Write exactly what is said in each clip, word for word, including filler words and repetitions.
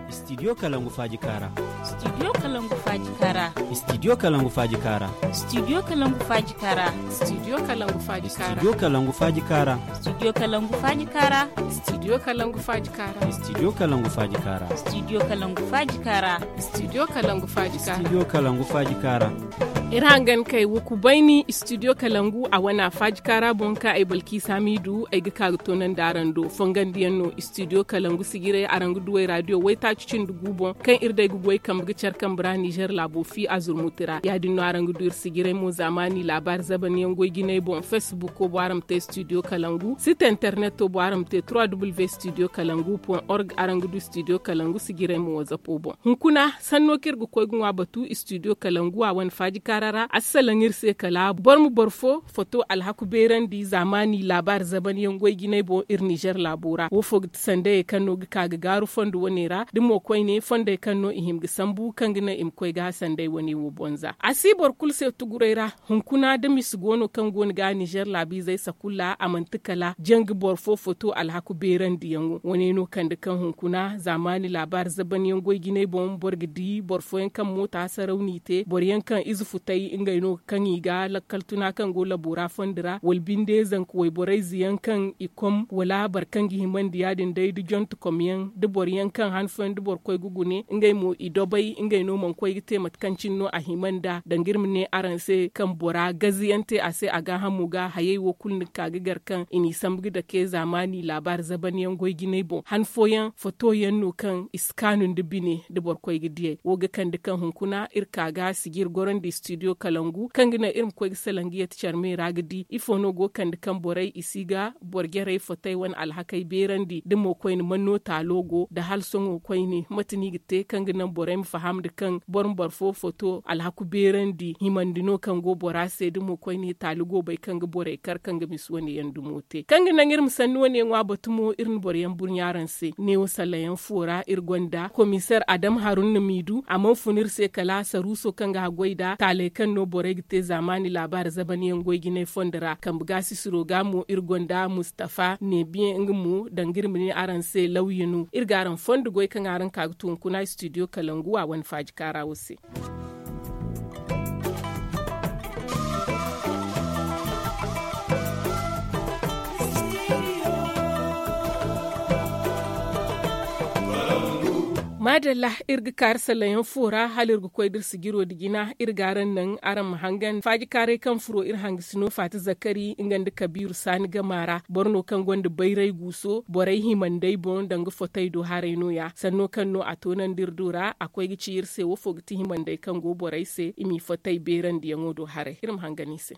Studio kalangu faaji kaara. Studio kalangu faaji kaara. Studio kalangu faaji kaara. Studio kalangu faaji kaara. Studio kalangu faaji kaara. Studio kalangu faaji kaara. Studio kalangu faaji kaara. Studio kalangu faaji kaara. Studio kalangu faaji kaara. Studio kalangu faaji kaara. Studio kalangu faaji kaara. Studio kalangu faaji kaara. Iri hangan kay wo kubayni studio kalangu a wana faaji kaara boŋ ka ay balki samidu ay ga ka ga toonandi araŋ do fongandiyaŋ no studio kalangu sijiray araŋ ga duwey radio waytaaci cindi gu boŋ kaŋ iri day ga goy kambe ga care kambe ra nizer laabo fi a zurmuti ra ya- din no araŋ ga du iri sijiray mo zaamaani laabaari zabanyaŋ goy jinay boŋ facebook wo bo araŋ ma te studio kalangu site internet wo bo araŋ ma te trois w studio kalangu point org araŋ ga du studio kalangu sijiray mo wazapo boŋ. Hunkuna sanno kaŋ iri ga koy ga ŋwa batu studio kalangu a wane faaji kaara ra a si salaŋ iri se kala boro ma boro fo foto alhaku beerandi zaamaani laabaari zabanyaŋ goy jinay boŋ iri nizer laabo ra wo fo ga ti sandayey kaŋ no ga ka ga gaaru fondo wane ra da mo koyne fondey kaŋ no i hima ga sambu kaŋ ga naŋ i ma koy ga sanday wane wo boŋ za a si boro kulu se tuguray ra. Hunkuna da misi go no kaŋ go no ga nizer laabiizey sakulla a manti kala janga boro fo foto alhaku beerandiyaŋo wane no kande kaŋ hunkuna zaamaani laabaari zabanyaŋ goy jinay boŋ boro ga di boro fooyaŋ kaŋ moota saraw n'i te boro yaŋ kaŋ ize futay ngey no ga kaŋ i ga lakkal tuna kaŋ go labo ra fondi ra wala binde zanka wayborayze yaŋ kaŋ i kom wala boro kaŋ ga himandi ya- din day da jonte kom yaŋ da boro yaŋ kaŋ han fooyaŋ da boro koy ga gune ngey mo i dobay ngey no mana koy ga te mate kaŋ cine no a hima nd'a danga iri ma ne araŋ se kaŋ bora gaziyaŋ te a se a gaahamo ga hayey wo kulu ni ga ka ga gar kaŋ i n'i sambu ga dake zaamaani laabaari zabanyaŋ goy jinay boŋ han fooyaŋ foto yaŋ no kaŋ i si kaanu nda bine da boro koy ga diyey wo ga kande kaŋ hunkuna iri ka ga sijiri gorandi studio kalangu kaŋ ga naŋ iri ma koy ga salaŋ ga yate care me ra ga di ifo no go ga kande kaŋ borey i si ga boro jarey fotey wane alhakey beerandi da mo koyne man no taalo go da hala sohõ koyne mate no i ga te kaŋ ga naŋ borey ma faham nda kaŋ boro ma boro fo foto alhaku beerandi himandi no kaŋ go bora se da mo koyne taali go bay kaŋ ga borey kar kaŋ ga misi wane yaŋ dumo te kaŋ ga naŋ iri ma sanni wane ŋwa batu mo iri na boro yaŋ burɲa araŋ se neewo sallayaŋ fo ra iri gonda komiseer adam harun na m'i du a mana fun iri se kala saruuso kaŋ ga haggoy nd'a taaley kaŋ no borey ga te zaamaani laabaari zabanyaŋ goy jinay fondo ra kambe gaasisiro ga mo iri gonda mustafa neebiyaŋ nga mo danga iri ma ne araŋ se lawya no iri ga araŋ fondo goy kaŋ araŋ ka ga tu hunkuna studio kalangu a wane faaji kaara wo se. Maadalla, iri ga kaari salayaŋ fo ra hala iri ga koy da iri sijiro nda jina iri ga araŋ naŋ araŋ ma hangan faajikaaray kaŋ furo iri hangasino faati zakari nga nda kabiiru saani gama ra boro no kaŋ gonda bayray guuso borey hima nd'ey boŋ danga fotey do haray no- ya sanno kaŋ no a toonandi iri do ra a koy ga ci iri se wo fo ga ti hima nd'ey kaŋ go borey se i m'i fotey beerandiyaŋo do haray iri ma hangan i se.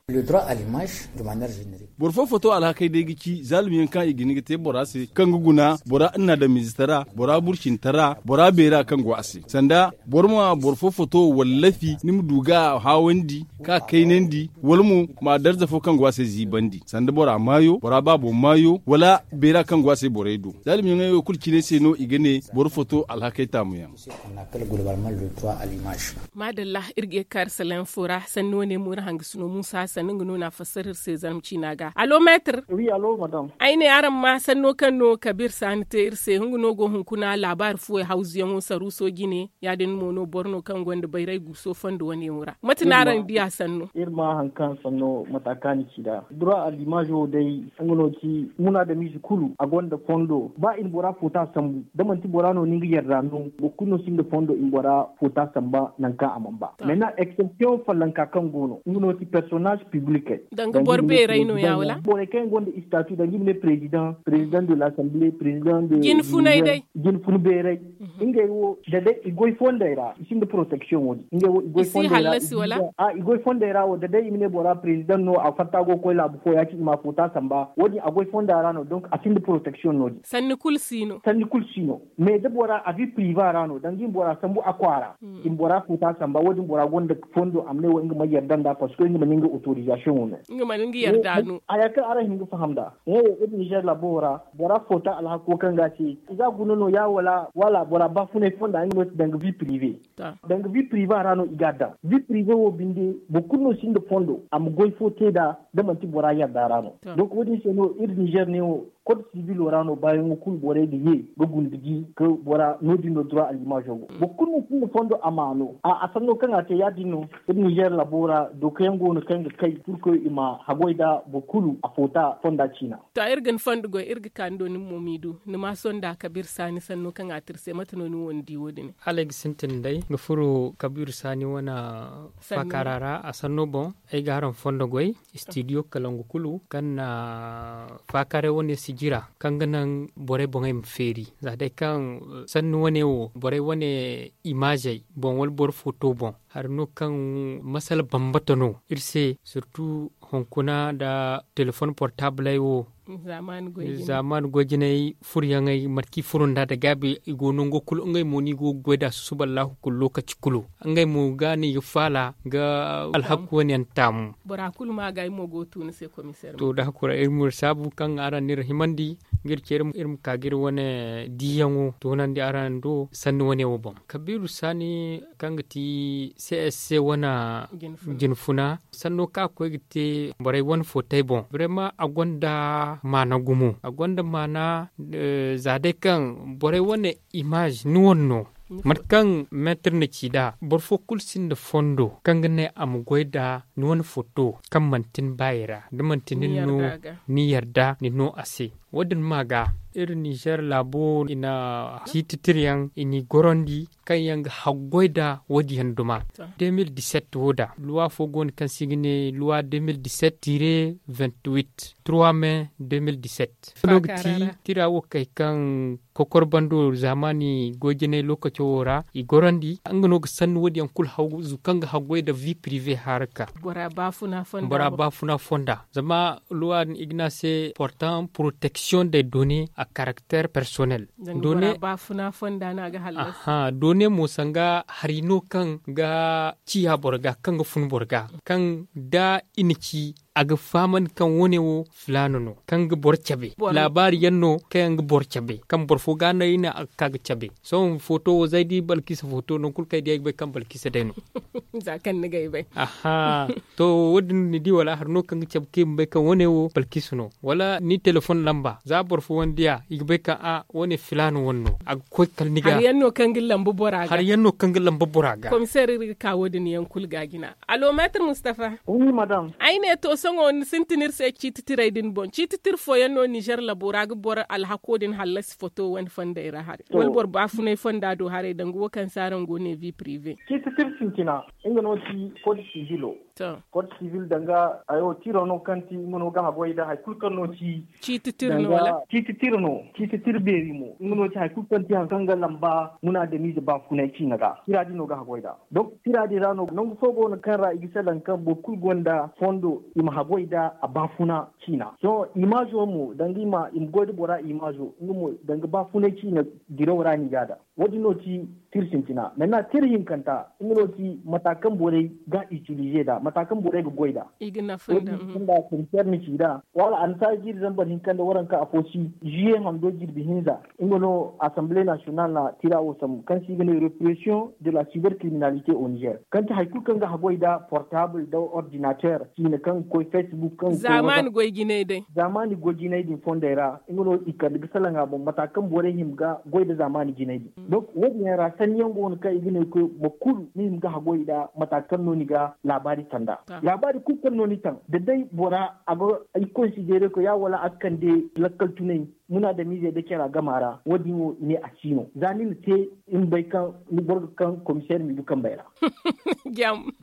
Boro fo foto alhakey day ga ci zaalum yaŋ kaŋ i ga hin ga te bora se kaŋ ga guna bora nna damiizitara bora burcintara bora beera kaŋ go a se sanda boro ma boro fo foto wallafi ni ma du ga a haawandi ka kaynandi wala mo ma darza fo kaŋ go a se ziibandi sanda bora maayo bora baabo maayo wala beera kaŋ go a se borey do zaalum yaŋey wo kulu cine se no i ga ne boro foto alhakey taamu yaŋ. Maadalla, iri ga ye ga kaari salaŋ fo ra sanni wane mo iri hangasino muusa sanni nga no na fassara iri se zarma ciina ga alo meetir. Ay ne araŋ ma sanno kaŋ no kabiir saani te iri se nga no go hunkuna laabaari fuwey hawzuyaŋo saruuso jine ya- din mo no boro no kaŋ gonda bayray guuso fondo wane yaŋo ra mate no araŋ diya sanno? Iri ma hari kaŋ sanno mata kaŋ a na ci nd'a dura alimaazo day nga no ti munaadamiize kulu a gonda fondo ba i na bora foota sambu da manti bora no ni nga yarda no boro kulu no sinda fondo i ma bora foota samba nangu kaŋ a mana ba. Mena eksepsiyoŋ follanka kaŋ go no nga no ti personaaz piblikey danga boro beeray no- ya wala borey kaŋ yaŋ gonda istatu danga i ma ne prezidaŋ prezidaŋ de lasamble prezidaŋ de jine funay day jine fun beeray ngey wo da day i goy fondey ra i sinda poroteksiyoŋ wo- din ngey wo i goy fondey ra i goy fondey ra wo da day i ma ne bora prezidaŋ no a fatta go ga koy laabu fo ya- cine i ma a foota samba wo- din a goy fonda ra no donk a sinda poroteksiyoŋ no- din sanni kulu si no sanni kulu si no mais da bora a vi priva ra no danga i ma bora sambu a kwaara i ma bora foota samba wo- din bora gonda fondo a ma ne wo nga ma yarda nd'a parceque nga mana nga autorisation wo no nga mana nga yarda no haya kaŋ araŋ hin ga faham nd'a wo- wo iri nizer laabo ra bora foota alhako kaŋ ga a se i ga a guna no- ya wala wala bora baafunay fonda nga no ti danga vi prive danga vi prive ra no i ga a daŋ vi prive wo binde boro kulu no sinda fondo a ma goy fo te nd'a da manti bora yarda ra no donc wo- din se no iri nizer ne wo kod sivilo ra no baayaŋo kulu borey ga ye ga gundiji ga bora no- din no dura allimazo go boro kulu no sinda fondo a ma no a sanno kaŋ a te ya- din no. Iri nizer labo ra dokayaŋ go no kaŋ ga kay purkoy i ma haggoy nda boro kulu a foota fonda ciina. To iri ga ni fondo goy iri ga ka ni do ni mo m'i du ni ma sonda kabiir saani sanno kaŋ a te iri se mate no ni wo ni di wo- din? Hala ay ga sintin day ga furo kabiir saani wane faakaara ra a sanno boŋ. Ay ga araŋ fondo goy istidiyo kalangu kulu kaŋ na faakaaray wane sijira kaŋ ga naŋ borey boŋey ma feeri za day kaŋ sanni wane wo borey wane imaazey boŋ wala boro footo boŋ hari no kaŋ masala bambata no iri se sirtu hunkuna nda telefoŋ portaabley wo. Zaamaani goy jinay furyaŋey mate kaŋ i furo nd'a nda gaabi i go nango kulu ngey mo no i go ga goy nd'a susuba allaahu kulu lookaci kulu ngey mo ga no i ga faala ga alhaku wane yaŋ taamu. Bora kulu ma ga ay mo go ga tu ni se komiseer to da hakura iri ma iri saabu kaŋ araŋ n'iri himandi ga iri ceeri iri ma ka ga iri wane diiyaŋo toonandi araŋ do sanni wane wo boŋ kabiiru saani kaŋ ga ti csc wane jinfuna sanno kaŋ a ga koy ga te borey wane footay boŋ brema a gonda maana gumo a gonda maana za day kaŋ borey wane imaaze ni wane no mate kaŋ meetir na ci nd'a boro fo kulu sinda fondo kaŋ ga ne a ma goy nd'a ni wane foto kaŋ manti ni baayey ra da manti nin no ni yarda ni no a se. Wo- din ma ga iri nizer laabo i na ciiti tiryaŋ i n'i gorandi kaŋ yaŋ ga haggoy nda wo- din yaŋ duma. De mil diset wo da luwa fo go no kaŋ se i ga ne luwa de mil diset tire vingt huit trois mai de mil diset no ga ti tira wo kay kaŋ kokor bando zaamaani goy jinay lookaco wo ra i gorandi nga no ga sanni wo- din yaŋ kulu hawzu kaŋ ga haggoy nda vi prive haraka. Bora baafuna fonda zama luwa din i ga ne a se portant protection de donne a caracter personnel. Donne mo sanga hari no kaŋ ga ciya boro ga kaŋ ga fun boro ga kaŋ da i na ci a ga fahamandi kaŋ wo- ne wo filaana no kaŋ ga boro cabe laabaari yaŋ no kaŋ yaŋ ga boro cabe kaŋ boro fo ga no i ne a ga ka ga cabe sohõ foto wo za ay di balkisa foto nangu kulu kaŋ ay di ay ga bay kaŋ balkisa day no. Za kaŋ ni ga ay bay. Aha. To wo- din ni di wala hari no kaŋ ga cabe kaŋ i ma bay kaŋ wo- ne wo balkisa no wala ni telefoŋ lamba za boro fo wane diya i ga bay kaŋ a wo- ne filaana wane no a ga koy kala ni ga hari yaŋ no kaŋ ga lamba bora ga komiseer iri ga ka wo- din yaŋ kulu ga jina. Alo meetir mustafa. Ay ne to sohõ ni sintin iri se ciiti tiray din boŋ ciiti tira fooyaŋ no nizer labo ra ga boro alhako din hallasi foto wane fonday ra haray wala boro baafunay fonda do haray danga wo kaŋ se araŋ go ne vi prive. Ciiti tira sintina nga no ti kod sivilo. Kod sivil danga ayo tiro no kaŋ ti nga no ga haggoy nda hari kulu kaŋ no ti ciiti tira no wala ciiti tira no ciiti tira beeri mo nga no ti hari kulu kaŋ ti hari kaŋ ga lamba muna damiize baafunay ciina ga tira din no ga haggoy nda. Donc tira din ra no nangu fo go no kaŋ ra i ga salaŋ kaŋ boro kulu gonda fondo i ma haggoy nda a baafuna ciina sohõ imaazo mo danga i ma goy nda bora imaazo nga mo danga baafunay ciina diraw ra no i ga a daŋ. Wo- din no ti tira sintina maintenant tira hinkanta nga no ti mata kaŋ borey ga utilize nd'a mata kaŋ borey ga goy nd'a. Wo- din kunda concerne ci nd'a wala annasaara ga iri zambar hinka nda waranka afo si juillet hando jirbi hinza nga no assemblée nationale na tira wo sambu kaŋ se i ga ne repression de la cybercriminalité au niger kaŋ ti hari kulu kaŋ ga haggoy nda portable nda ordinateur ciine kaŋ ga koy facebook kaŋ ga koy zaamaani goy jinay day zaamaani goy jinay din fondey ra nga no i kande ga salaŋ a boŋ mata kaŋ borey hima ga goy nda zaamaani jinay din. Donc wo- din yaŋ ra sanni yaŋ go no kaŋ i ga ne ga koy boro kulu ni hima ga haggoy nda mata kaŋ no ni ga laabaari taŋ nd'a laabaari kulu kaŋ no ni taŋ da day bora a ga i considere ko ya wala a ga kande lakkal tunay muna damiizey nda cara gama ra wo- din wo i ne a si no za ni na te i ma bay kaŋ ni boro ga kaŋ komiseer m'i du kambey ra.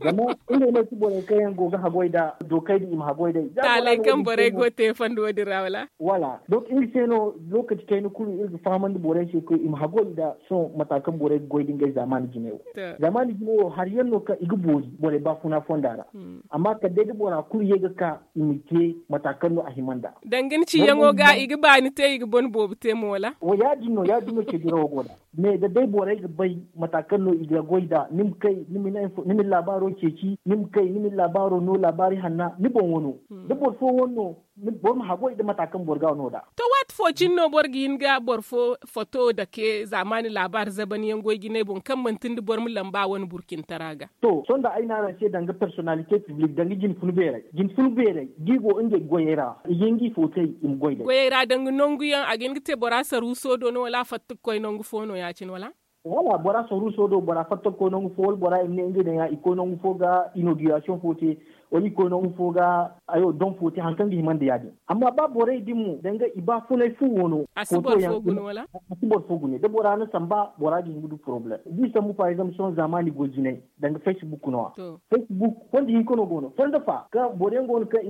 Zama ngey no ti borey kaŋ yaŋ go ga haggoy nda dookey din i ma haggoy day za bora no wo- din te mo. Taaley kaŋ borey go ga te fondo wo- din ra wala? Wala donc nga se no lookaci kayna kulu iri ga fahamandi borey se koy i ma haggoy nda sohõ mata kaŋ borey ga goy nda ngey zaamaani jinay wo. Zaamaani jinay wo hari yaŋ no kaŋ i ga boori borey baafuna fonda ra. Amma kala day da bora kulu ye ga ka i ma te mata kaŋ no a hima nd'a. Danga ni ciyaŋo ga i ga baani te i ga bone boobo te mo wala? Wo ya- din no ya- din no ceedirawo go nd'a. Mais da day borey ga bay mata kaŋ no i ga goy nd'a ni ma kay ni ma ni labaaro ceeci ni ma kay ni ma ni labaaro no laabaari hanna ni boŋ wano da boro fo wane no. Boro ma hagu ay da mata kaŋ boro ga no da. To waati fo cine no boro ga hin ga boro fo foto dake zaamaani laabaari zaban yaŋ goy jinay boŋ kaŋ manti nda boro ma lamba wane burcintara ga. To sohõ da ay ne araŋ se danga personalite piblik danga jinfun beeray jinfun beeray da i go ngey goyey ra i ga hin ga i footay i ma goy day. Goyey ra danga nangu yaŋ a ga hin ga te bora saruuso do no wala a fatta ga koy nangu fo no ya- cine wala? Wala bora saruuso do bora fatta ga koy nangu fo wala bora i ma ne ngey daŋ ya i koy nangu fo ga inoogirasiyoŋ fo te, wala i koy nangu fo ga hayo doŋ fo te hari kaŋ ga hima nda ya- din. Amma ba borey din mo danga i baafunay fu wo no a si boro fo gune wala? A si boro fo gune da bora na samba bora ga hin ga du poroblem da i sambu par exemple sohõ zaamaani goy jinay. Danga facebook no- ya. Facebook fondo hinka no go no fondo fa kaŋ boro yaŋ go no kaŋ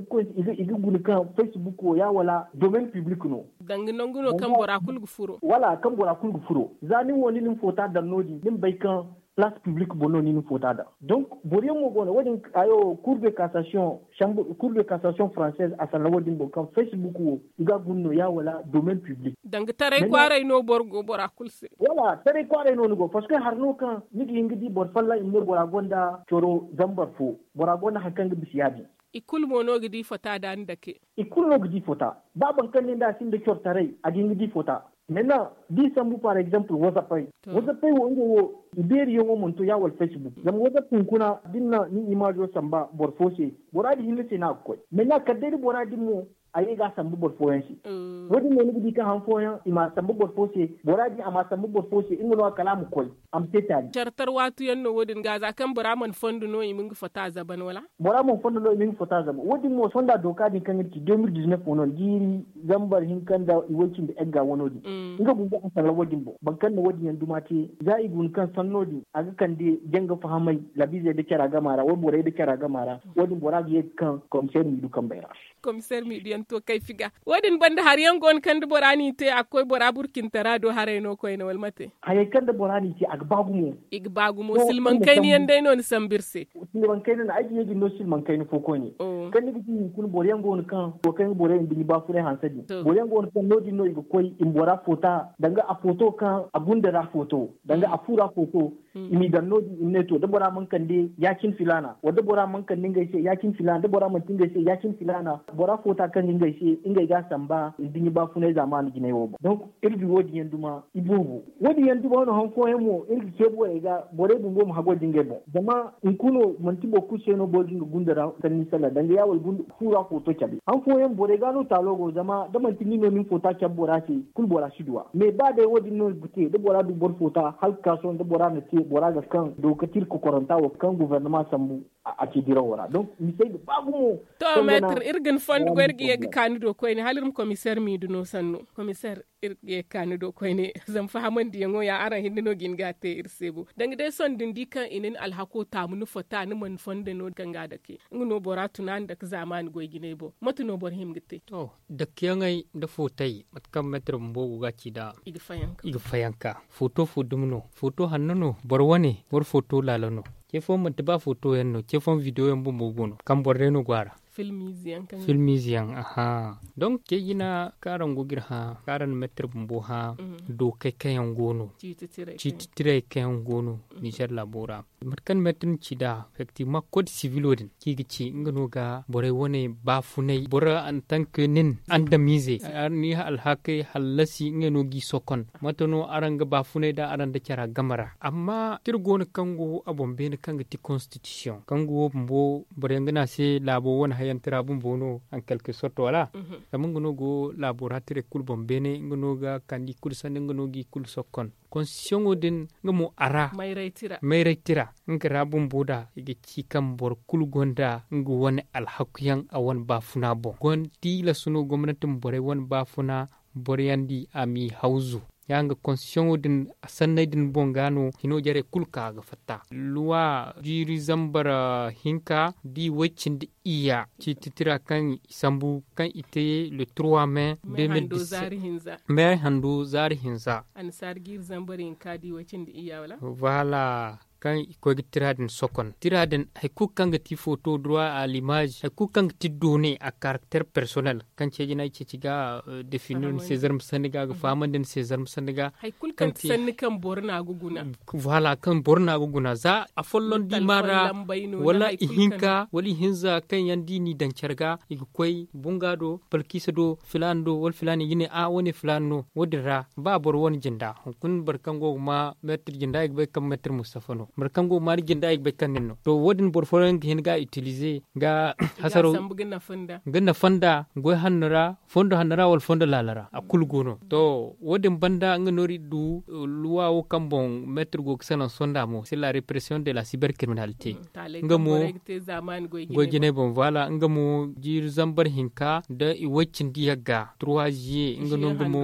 i ga guna kaŋ facebook wo ya wala domaine public no. Danga nangu no kaŋ bora kulu ga furo wala kaŋ bora kulu ga furo. Za nin wo ni na ni foota daŋ no- din ni ma bay kaŋ place public boŋ no ni na ni foota daŋ. Donc boro yaŋ mo go no wo- din ayo cour de cassation française a sanda wo- din boŋ kaŋ facebook wo i ga a guna no ya wala domaine public. Danga taray kwaaray no boro go bora kulu se. Wala taray kwaaray no ni go parce que hari no kaŋ ni ga hin ga di boro folloŋ i ma ne bora gonda coro zambar fo, bora gonda hari kaŋ ga bisa ya- din. I kulu mo no ga di fota da ni dake. I kulu no ga di fota. Ba boro kaŋ ne nda a sinda coro taray a ga hin ga di fota. Mena da i sambu par exemple wazappey. Wazappey wo ngey wo i beeri yaŋo mana to ya wala facebook zama wazapp hunkuna da ni na ni imaazo samba boro fo se, bora din hinne se no a ga koy. Mena kala day da bora din mo a ye ga a sambu boro fooyaŋ se. Wo- din no ni ga di kaŋ han fooyaŋ i ma a sambu boro fo se, bora din a ma a sambu boro fo se nga no- ya kala a ma koy a ma te taali. Care tar waatu yaŋ no wo- din ga za kaŋ bora mana fondo no i ma nga fota zaban wala? Bora mana fondo no i ma nga fota zaban wo- din mo sonda dooka din kaŋ iri ci deux mille dix-neuf wo no jiiri zambar hinka nda i way cindi egga wano din. Nga bumbo a sanda wo- din boŋ boro kaŋ na wo- din yaŋ duma te za i guna kaŋ sanno din a ga kande janga fahamay labiizey nda cara gama ra wala borey nda cara gama ra. Wo- din bora ga ye ga kaŋ komiseer miidu kambey ra. Komiseer miidiyaŋ to kayfi ga wo- din banda hari yaŋ go no kaŋ da bora n'i te a ga koy bora burcintara do haray no koyne wala mate? Hayey kaŋ da bora n'i te a ga ba gumo. I ga ba gumo silmaŋ kayna yaŋ day no ni sambu iri se. Silmaŋ kayna no ay ga ye ga ni no silmaŋ kayna fo koyne. Kaŋ ni ga di hunkuna boro yaŋ go no kaŋ wo kaŋ ga borey nduɲɲa baafunay hanse din boro yaŋ go no kaŋ no- din no i ga koy i ma bora foota danga a footo kaŋ a gunda ra footo danga a fu ra footo. I m'i daŋ no- din i ma ne to da bora mana kande ya- cine filaana wala da bora mana kande ngey se ya- cine filaana da bora mana ti ngey se ya- cine filaana. Bora foota kaŋ ga ngey se ngey ga a samba nduɲɲa baafunay zaamaani jinay wo boŋ donc iri du wo- din yaŋ duma i boobo. Wo- din yaŋ duma no han fooyaŋ mo iri ga ce borey ga borey bumbo ma haggoy nda ngey boŋ zama hunkuna manti boro kulu se no boro ga nga gunda ra sanni salla danga ya wala fu ra footo cabe han fooyaŋ borey ga no taalo go zama da manti nin no ni ma foota cabe bora se kulu bora si du a mais ba day wo- din no ga te da bora du boro foota hala ga ka sohõ da bora na te bora ga kaŋ dooka te iri kokoranta wo kaŋ gobornama sambu a ci dirawo ra donc misey ga ba gumo. To meetir iri ga ni fondo goy iri ga ye ga kaani do koyne hala iri ma komiseer miidu no sannu. Komiseer iri ga ye ga kaani do koyne zama fahamandiyaŋo ya araŋ hinne no ga hin ga a te iri se bo danga day sohõ da ni di kaŋ i na ni alhako taamu ni fota ni mana fondo no kaŋ ga a dake nga no bora tuna ni dake zaamaani goy jinay boŋ mate no boro hima ga te? To dakeyaŋey nda footay mate kaŋ meetir bumbo go ga a ci nd'a i ga fayanka footo fo dumi no footo hanno no boro wane boro footo laala no. Ce fooyaŋ manti ba footo yaŋ no ce fooyaŋ bidiyo yaŋ bumbo go no kaŋ boro day no go a ra. Filmiize yaŋ aha. Donk ce jina kaŋ araŋ go ga iri hã kaŋ araŋ na meetir bumbo hã dookey kaŋ yaŋ go no ciiti tirey kaŋ yaŋ go no nizer laabo ra. Mate kaŋ meetir na ci nd'a efektivemaŋ kood sivilo din kaŋ i ga ci nga no ga borey wane baafunay boro antank nin andamiize ni alhakey hallasi ngey no g'i sokon. Mate no araŋ ga baafunay nd'a araŋ nda cara game ra amma da iri go no kaŋ go a boŋ beene kaŋ ga ti konstitisiyoŋ kaŋ ga wo bumbo boro yaŋ ga ne a se laabo wane hayanti ra bumbo no en quelque sorte wala? Zama nga no go laabo ra tirey kulu boŋ beene nga no ga kande i kulu sanni nga no g'i kulu sokkon. Konstitiyoŋo din nga mo a ra mayray tira nga ra bumbo da i ga ci kaŋ boro kulu gonda nga wane alhakuyaŋ a wane baafuna boŋ gon tilas no gomnati ma borey wane baafuna boro yaŋ di a m'i hawzu. Ya nga konstitiyoŋo din sanney din boŋ ga no hino jarey kulu ka ga fatta luwa jiiri zambar hinka da i way cindi iyya ciiti tira kaŋ i sambu kaŋ i te le trois mai deux mille dix-sept mai hando zaari hinza. Annasaari jiiri zambar hinka da i way cindi iyya wala? Voilà. kaŋ i ga koy ga tira din sokon tira din hari kulu kaŋ ga ti foto droit à l'image hari kulu kaŋ ga ti doone a karakter personnel kaŋ ceeji no ay ceeci ga defini ni se zarma sanni ga a ga fahamandi ni se zarma sanni ga. Hari kulu kaŋ ti sanni kaŋ boro no a ga guna. Voilà kaŋ boro no a ga guna za a folloŋ di ma ra wala ihinka wala ihinza kaŋ yaŋ da i n'i daŋ care ga i ga koy bunga do balkiisa do filaana do wala filaana i ga ne a wane filaana no wo- din ra ba boro wane jinda hunkuna boro kaŋ go ga ma meetir jinda i ga bay kaŋ meetir mustafa no boro kaŋ go ga ma ni jinda i ga bay kaŋ nin no to wo- din boro fooyaŋ ga hin ga a itilize ga hasaro ga nafa nda goy hanno ra fondo hanno ra wala fondo laala ra a kulu go no to wo- din banda nga no iri du luwa wo kaŋ boŋ meetir go ga salaŋ sonda mo se la repression de la cyber criminalité nga mo goy jinay boŋ voilà nga mo jiiri zambar hinka nda i way cindi yagga trois juillet nga no nga mo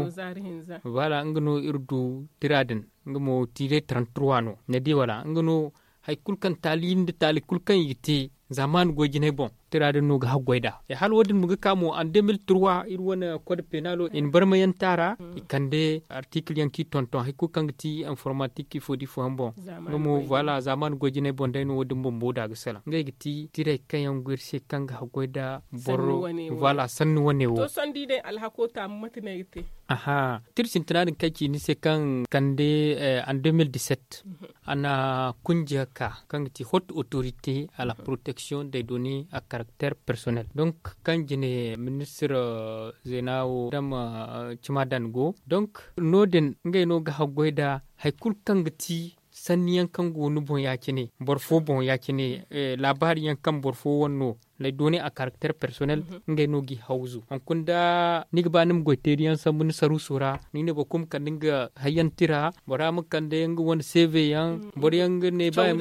voilà nga no iri du tira din nga mo tire trente trois no ni di wala nga no hari kulu kaŋ taali nda taali kulu kaŋ i ga te zaamaani goy jinay boŋ tira din no ga haggoy nd'a hala wo- din mo ga ka mo en deux mille trois iri wane code penalo i na barmayaŋ te a ra i kande artikil yaŋ kaŋ i tonton hari kulu kaŋ ga ti informatik ifo da ifo yaŋ boŋ nga mo voilà zaamaani goy jinay boŋ day no wo- din bumbo da ga salaŋ ngey ga ti tiray kaŋ yaŋ go iri se kaŋ ga haggoy nda boro voilà sanni wane wo. Aha tira sintina din kaŋ ay ci ni se kaŋ kande en deux mille dix-sept a na kunja ka kaŋ ga ti haute autorité à la protection des données à caractère personnel donc kaŋ jine ministir zeena wo dama cima dan go donc no- din ngey no ga haggoy nda hari kulu kaŋ ga ti sanni yaŋ kaŋ go ni boŋ ya- cine boro fo boŋ ya- cine laabaari yaŋ kaŋ boro fo wane no les données à caractère personnel ngey no g'i hawzu hunkuna da ni ga ba ni ma goy teeri yaŋ sambu ni saruuso ra ni ga ne boro kulu ma kande nga hayyaŋ tira bora ma kande nga wane seeveyaŋ boro yaŋ ga ne ba yaŋ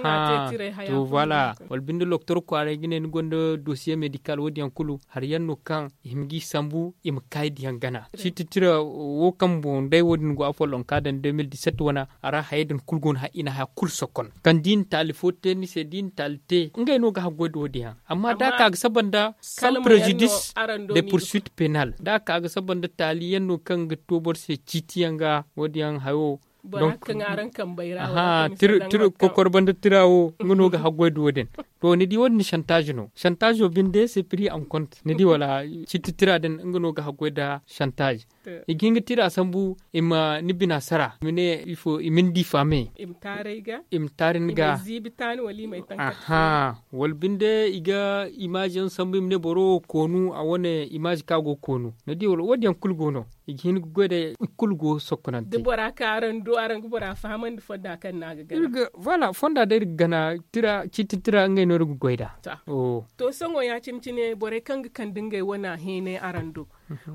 aha to voilà wala binde loktor kwaaray ga ne ni gonda dosiye medikal wo- din yaŋ kulu hari yaŋ no kaŋ i hima g'i sambu i ma kaayi da yaŋ gana ciiti tira wo kaŋ boŋ day wo- din go afollonka daŋ deux mille dix-sept wane a ra hayey din kulu go no i na haya kulu sokon kaŋ da i na taali fo te ni se da i na taali te ngey no ga haggoy da wo- din yaŋ amma da a ka ga saba nda sans préjudice de poursuite pénal da a ka ga saba nda taali yaŋ no kaŋ ga to boro se ciiti yaŋ ga wo- din yaŋ hayo tira kokor banda tira wo nga no ga haggoy da wo- din to ni di wo- din chantage no chantage wo binde se prix en compte ni di wala ciiti tira din nga no ga haggoy nda chantage i ga hin ga tira sambu i ma ni bina sara i ma ne ifo i ma ni difame i ma taari ni ga aha wala binde i ga imaazi yaŋ sambu i ma ne boro wo koonu a wane imaazi kaŋ a go ga koonu ni di wala wo- din yaŋ kulu go no i ga hin ga goy day i kulu go sokkonante da bora kaŋ araŋ du araŋ ga bora fahamandi fonda kaŋ no a ga gana voilà fonda day iri ga gana tira ciiti tira ngey no iri ga goy nd'a to sohõ ya- cine cine borey kaŋ ga kande ngey wane heenay araŋ do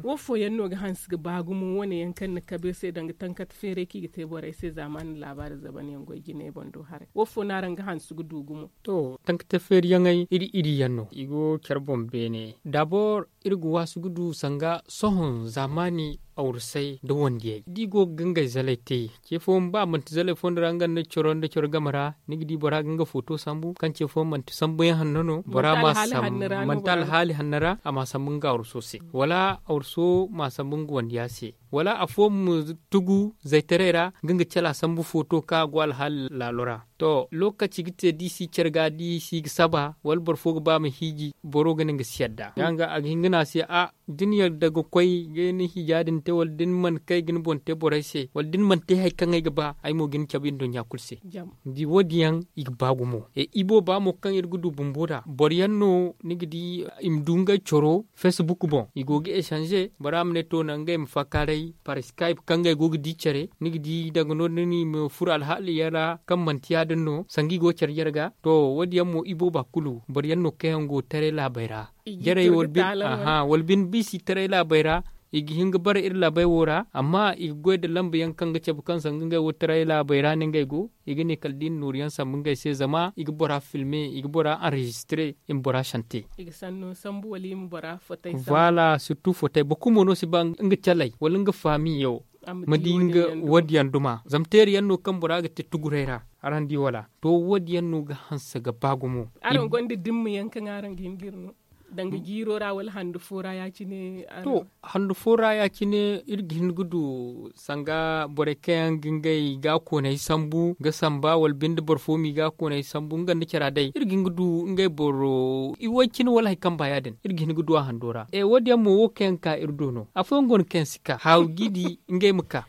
wo fooyaŋ no ga hanse ga ba gumo wane yaŋ kaŋ ni kabe se danga tankat feeray kaŋ i ga te borey se zaamaani laabaari zaban yaŋ goy jinay boŋ do haray wo fo no araŋ ga hanse ga du gumo to tankat feeri yaŋey iri iri yaŋ no i go care boŋ beene dabor iri ga waasu ga du sanga sohõ zaamaani awrusay nda wandiyey da i go ga ngey zalay te ce fooyaŋ ba manti zalay fooyaŋ ra nga nda coro nda coro game ra ni ga di bora ga nga footo sambu kaŋ ce fooyaŋ manti sambu yaŋ hanno no bora ma sambu manti alhaali hanno ra a ma sambu nga awruso se wala awruso ma sambu nga wandiya se wala afooyaŋ ma tugu zaytaray ra ga nga cala sambu footo kaŋ a go alhaali laalo ra to lookaci ga te da i si care ga da i si ga saba wala boro fo ga ba ma hiiji boro ga ne nga si yadda ya nga a ga hin ga ne a se a da ni yadda ga koy ga ni hiija din te wala da ni mana kay ga ni boŋ te borey se wala da ni mana te hari kaŋ ay ga ba ay mo ga ni cabe nduɲɲa kulu se da wo- din yaŋ i ga ba gumo ibooba mo kaŋ iri ga du bumbo nd'a boro yaŋ no ni ga di i ma du ngey coro facebook boŋ i go ga echange bora ma ne to naŋ ngey ma faakaaray par skype kaŋ ngey go ga di care ni ga di danga no- din i ma furo alhaali yaŋ ra kaŋ manti ya- din no sanga i go care jarga to wo- din yaŋ mo ibooba kulu boro yaŋ no kaŋ yaŋ go taray laabey ra jarey wala bine biisi taray laabey ra i ga hin ga bare iri laabey wo ra amma i ga goy nda lamba yaŋ kaŋ ga cabe kaŋ sanga ngey wo taray laabey ra no ngey go i ga ne kala da i na nooru yaŋ sambu ngey se zama i ga bora filme i ga bora enregistre i ma bora sante i ga sanno sambu wala i ma bora fotay sambu voilà surtout fotay boro kulu mo no si ba nga calay wala nga faamiyo ma di nga wo- din yaŋ duma zama teeri yaŋ no kaŋ bora ga te tuguray ra araŋ di wala to wo- din yaŋ no ga hanse ga ba gumo araŋ gonda dimma yaŋ kaŋ araŋ ga hin ga iri no Danga jiiro ra wala handu fo ra ya- cine. To, handu fo ra ya- cine iri ga hin ga du sanga borey kaŋ yaŋ ga ngey gaakooney sambu ga samba wala binde boro fo m'i gaakooney sambu nga nda cara day iri ga hin ga du ngey boro iway cine wala hari kaŋ ba ya- din iri ga hin ga du a hando ra. Wo- din yaŋ mo wo kaŋ yaŋ ga ka iri do no afooyaŋ go no kaŋ yaŋ si ka haawu g'i di ngey ma ka.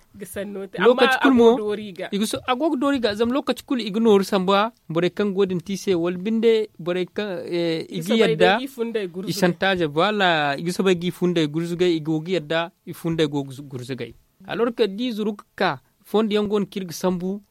Lokaci kulu mo a go ga doori ga zama lokaci kulu i ga nooru samba borey kaŋ go din te i se wala binde borey kaŋ i ga yadda i santaaze bala i ga soobay ga i funday gurzugay i go ga yadda i funday go ga gurzugay. Alor ka da i zuru ga ka fondo yaŋ go no kaŋ iri ga sambu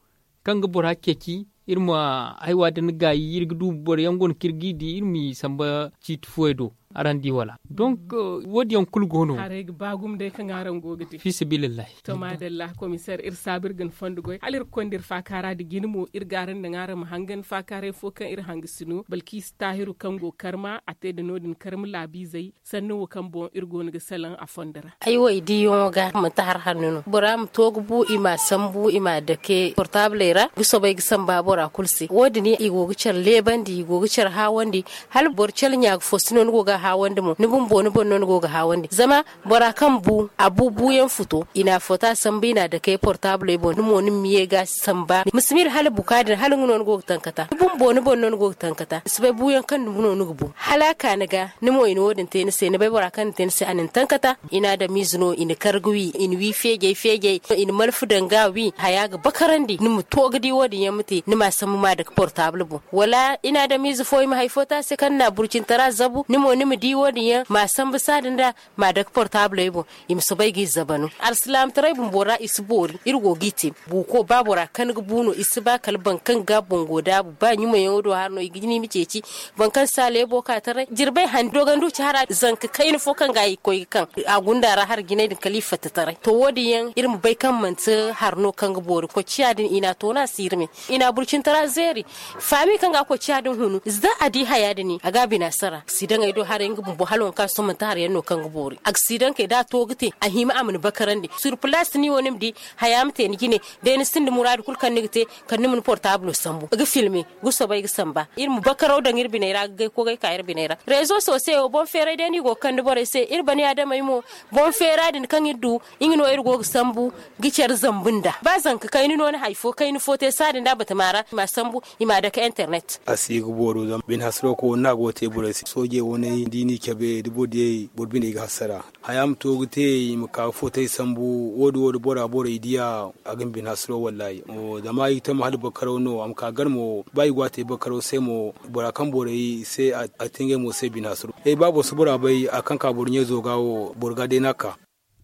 kaŋ ga bora ceeci iri ma haywa din gaayi iri ga du boro yaŋ go no kaŋ iri g'i di iri m'i samba ciiti fooyey do. Araŋ di wala donk wo- din yaŋ kulu go no. Haray ga ba gumo day kaŋ araŋ go ga te fi sabilillahi. To maadalla komiseer iri saabu iri ga ni fondo goy hala iri ga konda iri faakaara nda jine mo iri ga araŋ naŋ araŋ ma hangan faakaaray fo kaŋ iri hanga si no balkiisi taahiru kaŋ go karma a te nda no- din karma laabiizey sanni wo kaŋ boŋ iri go no ga salaŋ a fondo ra. Ay wo i diiyaŋo ga manti hari hanno no bora ma to ga bu i m'a sambu i m'a dake portaabley ra ga soobay ga samba bora kulu se wo- din i go ga care leebandi i go ga care haawandi. Hala boro care ɲa ga fo si no ni go ga a haawandi mo ni bumbo ni boŋ no ni go ga a haawandi zama bora kaŋ bu a bu buuyaŋ futo i n'a foto a sambu i n'a dake portaabley boŋ ni mo ni ma ye ga a samba ma si miila hala buka din hala nga no ni go ga tankata ni bumbo ni boŋ no ni go ga tankata ni si bay buuyaŋ kaŋ dumi no ni ga bu hala a ka ni ga ni mo i na wo- din te ni se ni bay bora kaŋ na te ni se a na ni tankata. I na adamiize no i na kar ga wi i na wi feejay feejay i na malfa daŋ ga a wi haya ga bakarandi ni ma to ga di wo- din yaŋ ma te ni ma a sambu ma a dake portaabul boŋ wala i na adamiize fo i ma hari fo te a se kaŋ na burcintara zabu ni mo ni ma di wo- din yaŋ ma a sambu saada nda ma a dake portaabley boŋ. I ma soobay ga i zaba no alsilaamataray bumbo ra i si boori iri go g'i te. Buuko ba bora kaŋ ga bu no i si ba kala boro kaŋ ga boŋ go daabu ba ɲumayaŋo do hari no i ga ni ma ceeci boro kaŋ si a leebo ka taray jirbay hani dogondu ci hara zanka kayna fo kaŋ ga i ga koy ga kaŋ a gunda ra hari jinay din kala i fatta taray to wo- din yaŋ iri ma bay kaŋ manti hari no kaŋ ga boori koy ciya din i n'a toona siirme i n'a burcintara zeeri. Faami kaŋ ga a koy ciya din hunu za a di haya din a ga a bina sara si daŋ ay do haray nga bumbo hala waŋ kaŋ a si to manti hari yaŋ no kaŋ ga boori a ga si daŋ kay da a to ga te a hima a ma ni bakarandi surpalaasi ni wo ni ma di haya ma te ni jine. Day ni sinda muraadu kulu kaŋ ni ga te kala ni ma ni portaabulo sambu ga filme ga soobay ga samba iri ma bakaraw daŋ iri biney ra ga gay kogay ka iri biney ra reezo sosey wo boŋ feeray day no i go ga kande borey se iri baniyaadamey mo boŋ feera din kaŋ iri du nga no iri go ga sambu ga care zambu nda ba zanka kayna no ni hari fo kayna fo te saada nda batama ra i m'a sambu i m'a dake internet. A si ga booro zama bine hasaro ko wane no a go ga te borey se soojey wane da i n'i cabe da boro diyey boro biney ga hasara haya ma to ga te i ma ka ga footay sambu wo- din wo- din bora borey diya a ga ni bine hasaro wallaahi. Zama i ga tama hala bakaraw no a ma ka gar mo ba i go a te bakaraw se mo bora kaŋ borey se a te ngey mo se bine hasaro ba boro si bora bay a kaŋ ka boro ɲayzo ga wo boro ga day no a ka.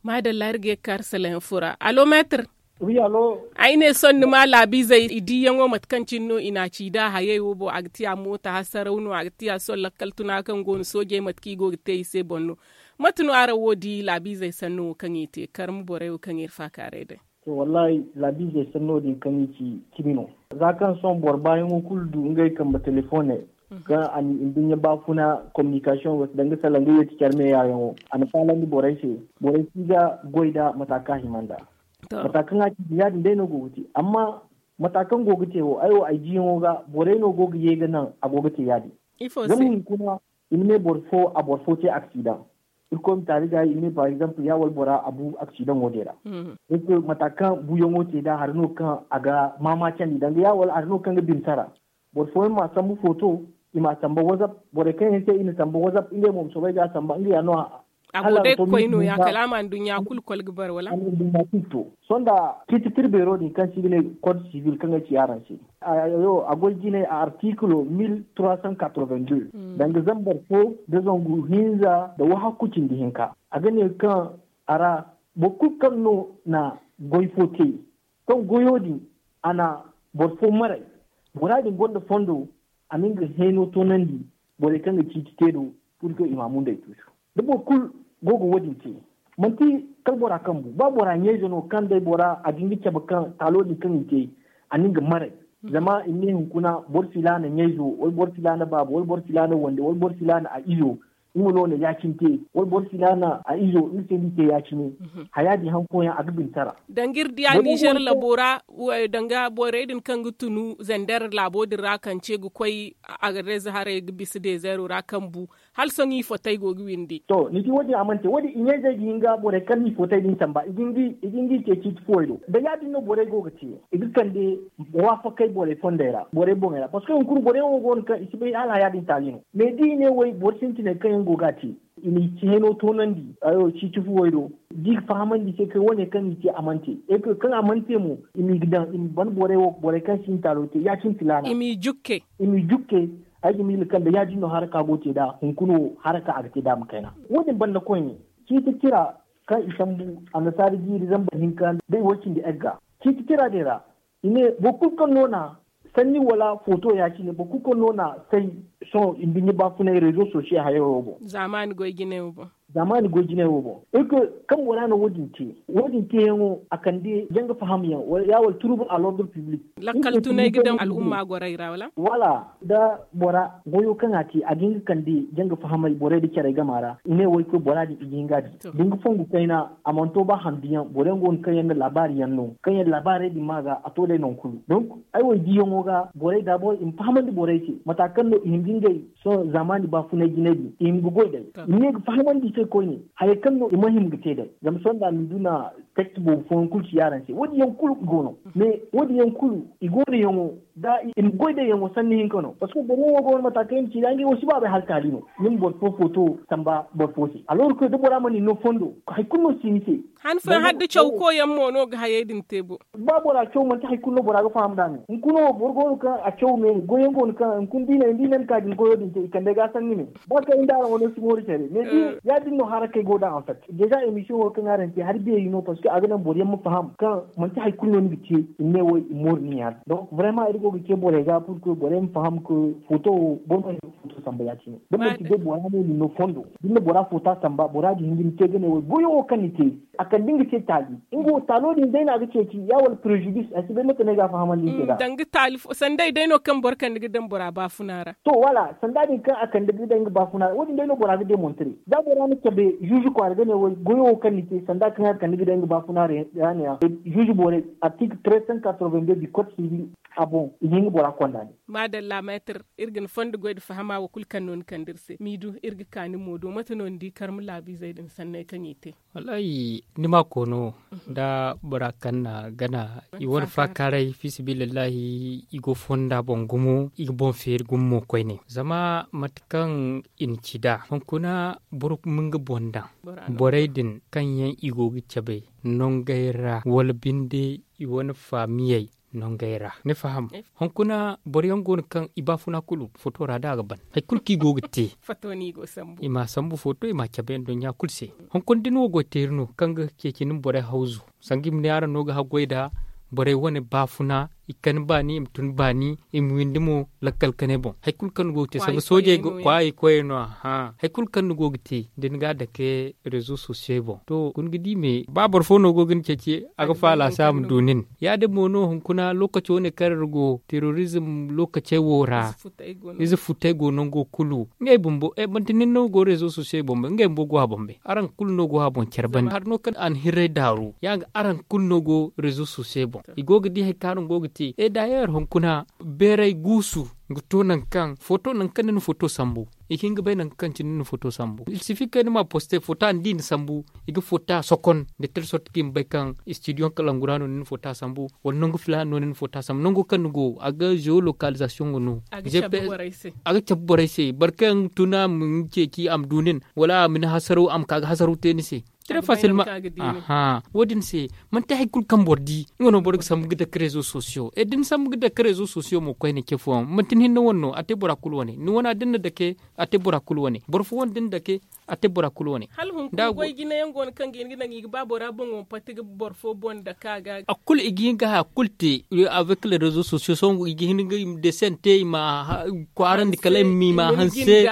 Maadalla iri ga ye ga kaari salayaŋ fo ra allo meetir. Ay ne sohõ ni ma laabiizey i diiyaŋo mate kaŋ cine no i n'a ci nd'a hayey wo boŋ a ga tiya moota hasaraw no a ga tiya sohõ lakkal tuna kaŋ go no soojey mate kaŋ i go ga te i se boŋ no. Mate no araŋ wo di laabiizey sanno wo kaŋ i te karma borey wo kaŋ iri faakaaray day? To wallaahi laabiizey sanno din kaŋ i ci cimi no. Za kaŋ sohõ boro baayaŋo kulu du ngey kambe telefooney kaŋ a na i nduɲɲa baafuna kominikasiyoŋ wo se danga salaŋ ga yeeti care meeyaayaŋo a na faalandi borey se. Borey si ga goy nd'a mata kaŋ a hima nd'a. Mata kaŋ a ci din ya- din day no go ga te amma mata kaŋ go ga te wo ay wo ay jiyaŋo ga borey no go ga ye ga naŋ a go ga te ya- din. Zama hunkuna i ma ne boro fo a boro fo te aksidaŋ. Irkoy ma taali ga i ma ne par exemple ya wala bora a bu aksidaŋo din ra. Mata kaŋ buuyaŋo te nd'a hari no kaŋ a ga maama candi danga ya wala hari no kaŋ ga bine sara. Boro fooyaŋ m'a sambu footo i m'a samba wazap borey kaŋ yaŋ se i na samba wazap ngey mo ma soobay ga a samba nga ya no a. A go day ga koy nooya kala a ma nduɲɲa kulu kol ga bare wala? Sohõ nda ciiti tirbeero din kaŋ se i ga ne kod sivil kaŋ ay ci araŋ se. A goy jinay a artikilo mil trois cent quatre-vingt-deux danga zambar fo nda zangu hinza nda wahakku cindi hinka. A ga ne kaŋ a ra boro kulu kaŋ no na goy fo te kaŋ goyo din a na boro fo maray. Bora din gonda fondo a na nga heeno toonandi borey kaŋ ga ciiti te do purke i ma a mundey tuusu. Da boro kulu go ga wo- din te manti kala bora kaŋ bu ba bora ɲayze no kaŋ day bora a ga nga cabe kaŋ taalo din kaŋ i te a na nga maray. Zama i ma ne hunkuna boro filaana ɲayzo wala boro filaana baabo wala boro filaana wande wala boro filaana a izo. Nga no na ya- cine te, wala boro filaana a izo nga se no i te ya- cine. Haya din hari fooyaŋ a ga bintara. Danga iri di a nizer labo ra, danga borey din kaŋ ga tunu zander laabo din ra kaŋ ce ga koy, a ga reeza haray ga bisa dezeero ra kaŋ bu. Hala sohõ i fotey go ga windi. To ni di wo- din a mana te wo- din i ɲayzey ga hin ga borey kaŋ no i fotey din samba i ga hin ga i ceeci ciiti fuwey do. Da ya- din no borey go ga te, i ga kande waafakey borey fondey ra, borey boŋey ra parceque hunkuna borey wo go no kaŋ i si bay hala haya din taali no. Mais da i ne wo boro sintiney kaŋ yaŋ go ga a te, i n'i ciheno toonandi ciiti fuwey do. Da i ga fahamandi i se kaŋ wo- ne kaŋ i te a mana te. Kaŋ a mana te mo, i m'i ga daŋ i ma ban borey wo borey kaŋ si hin taalo te ya- cine filaana i m'i jukke. Ay ga miila kaŋ da ya- din no haraka go ga te nd'a hunkuna wo haraka a ga te nd'a ma kayna. Wo- din banda koyne, ciiti tira kaŋ i sambu annasaara jiiri zambar hinka day wo- cindi egga. Ciiti tira din ra i ne boro kulu kaŋ no na sanni wala footo ya- cine boro kulu kaŋ no na say sohõ i nduɲɲa baafunay reezo sosiyo hayaro wo boŋ. Zaamaani goy jinay wo boŋ. Zaamaani goy jinay wo boŋ. Iri koy kaŋ bora no wo- din te, wo- din teeyaŋo a kande janga fahamyaŋ ya wala turubu a lordre piblik. Lakkal tunay ga daŋ al'umma gorey ra wala? Wala da bora goyo kaŋ a te a ga hin ga kande janga fahamay borey nda carey game a ra i ne wo ay koy bora din i ga hin ga a di. Da ni ga fongu kayna a mana to ba handuyaŋ boro yaŋ go no kaŋ yaŋ na laabaari yaŋ no kaŋ yaŋ laabaarey din ma ga a to day nangu kulu. Donk ay wo ay diyaŋo ga borey daabor i ma fahamandi borey se mata kaŋ no i hin ga ngey sohõ zaamaani baafunay jinay din i hin ga goy day. I ma ne ga fahamandi i se koyne hayey kaŋ no i ma hima ga te day. Zama sohõ da a ma du na tekst boobo fooyaŋ kulu ci yaaraŋ se wo- din yaŋ kulu i go no. Mais wo- din yaŋ kulu i go no yaŋo da i ma goy day yaŋo sanni hinka no parceque boro wo go no mata kaŋ i na ci da ngey wo si ba bay hala taali no. Ni ma boro fo footo samba boro fo se alors que da bora mana ni no fondo hari kulu no si ni se. Han fooyaŋ hala da caw koyaŋ mo no ga hayey din te bo. Ba bora caw manti hari kulu no bora ga faham nd'a me hunkuna wo boro go no kaŋ a caw me goyaŋ go no kaŋ hunkuna da i na ni ka din goyo din te i kande ga sanni me. Ba kaŋ inda araŋ wane si mooru care mais din ya- din no harakey go da en fait déjà emission wo kaŋ araŋ te hari beeri no parceque a ga naŋ boro yaŋ ma faham kaŋ manti hari kulu no ni ga te i ma ne wo i mooru nin ya din donc vraiment iri go ga ce borey ga pour que borey ma faham que foto wo boro ma hin ga foto samba ya- cine da manti day bora no ni no fondo da ni na bora foto a samba bora ga hin ga ni te ga ne wo goyo wo kaŋ ni te a kala da nga te taali nga wo taalo din day no a ga ceeci ya wala prejudis ay si bay mate no ay ga a fahamandi ni te nd'a. Danga taali fo sanda ay day no kaŋ boro kande ga daŋ bora baafuna ra. To wala sanda din kaŋ a kande ga daŋ nga baafuna ra wo- din day no bora ga demontre da bora na cabe zuuzu kwaara ga ne wo goyo wo kaŋ ni te sanda kaŋ a kande ga daŋ nga baafuna ra ya ne ya zuuzu borey artikil tres cent quatre vingt deux du code civil a boŋ i ga hin ga bora konda ne. Maadalla meetir iri ga ni fondo goy nda fahama wo kulu kaŋ no ni kande iri se m'i du iri ga ka ni mo do mate no ni di karma laabiizey din sanney kaŋ i te? Wallaahi ni ma koono nda bora kaŋ na gana i wane faakaaray fiisabilillahi i go fonda boŋ gumo i ga boŋ feeri gumo mo koyne zama mate kaŋ i na ci nd'a hunkuna boro ma nga boŋ daŋ borey din kaŋ yaŋ i go ga cabe nongey ra wala binde i wane faamiyey nongey ra ni faham? Hunkuna boro yaŋ go no kaŋ i baafuna kulu foto ra da a ga ban hari kulu kaŋ i go ga te i m'a sambu foto i m'a cabe nduɲɲa kulu se. Hunkuna da ni wo goy teeri no kaŋ ga ceeci ni ma borey hawzu sanga i ma ne araŋ no ga haggoy nd'a borey wane baafuna i kani baani i ma tun baani i ma windi mo lakkal kanay boŋ hari kulu kaŋ ni go ga te sanga soojey go kwaayey koyey no. Aha hari kulu kaŋ ni go ga te da ni ga a dake rezo sosiyey boŋ to hunkuna ga di me ba boro fo no go ga ni ceeci a ga faala se a ma du nin. Ya- din mo no hunkuna lookaci wane kaŋ iri go terorizm lookacey wo ra ize futey go nango kulu ngey bumbo manti nin no go rezo sosiyey boŋ bay ngey bumbo go a boŋ bay araŋ kulu no go a boŋ care banda hari no kaŋ a na hirray daaru ya ga araŋ kulu no go rezo sosiyey boŋ i go ga di hari kaŋ araŋ go ga te e daayeer hunkuna beeray guusu ga to nangu kaŋ foto nangu kaŋ ni na foto sambu i ga hin ga bay nangu kaŋ cine ni na foto sambu il sifi kaŋ ni ma poste foto a na di ni sambu i ga foto a sokon da tel sorti kaŋ i ma bay kaŋ studio kalangu ra no ni na foto a sambu wala nangu filaana no ni na foto a sambu nango kaŋ ni go a ga geolocalisation ga no a ga cabe borey se boro kaŋ tuna ma ni ceeci a ma du nin wala a ma ni hasaraw a ma ka ga hasaraw te ni se. Très facilement. Aha wo din se manti hari kulu kaŋ boro di nga no boro ga sambu ga dake rezo sosiyo e da ni sambu ga dake rezo sosiyo mo koyne ce fooyaŋ manti ni hinne wane no a te bora kulu wane ni wana da ni na dake a te bora kulu wane boro fo wane da ni dake a te bora kulu wane. Hala hunkuna goy jinayaŋ go no kaŋ ga hin ga naŋ i ga ba bora boŋo ma pati ga boro fo boŋ dake a ga. A kulu i ga hin ga haya kulu te avec les rezo sosiyo sohõ i ga hin ga i ma desen te i ma kwaarandi kala i ma hanse.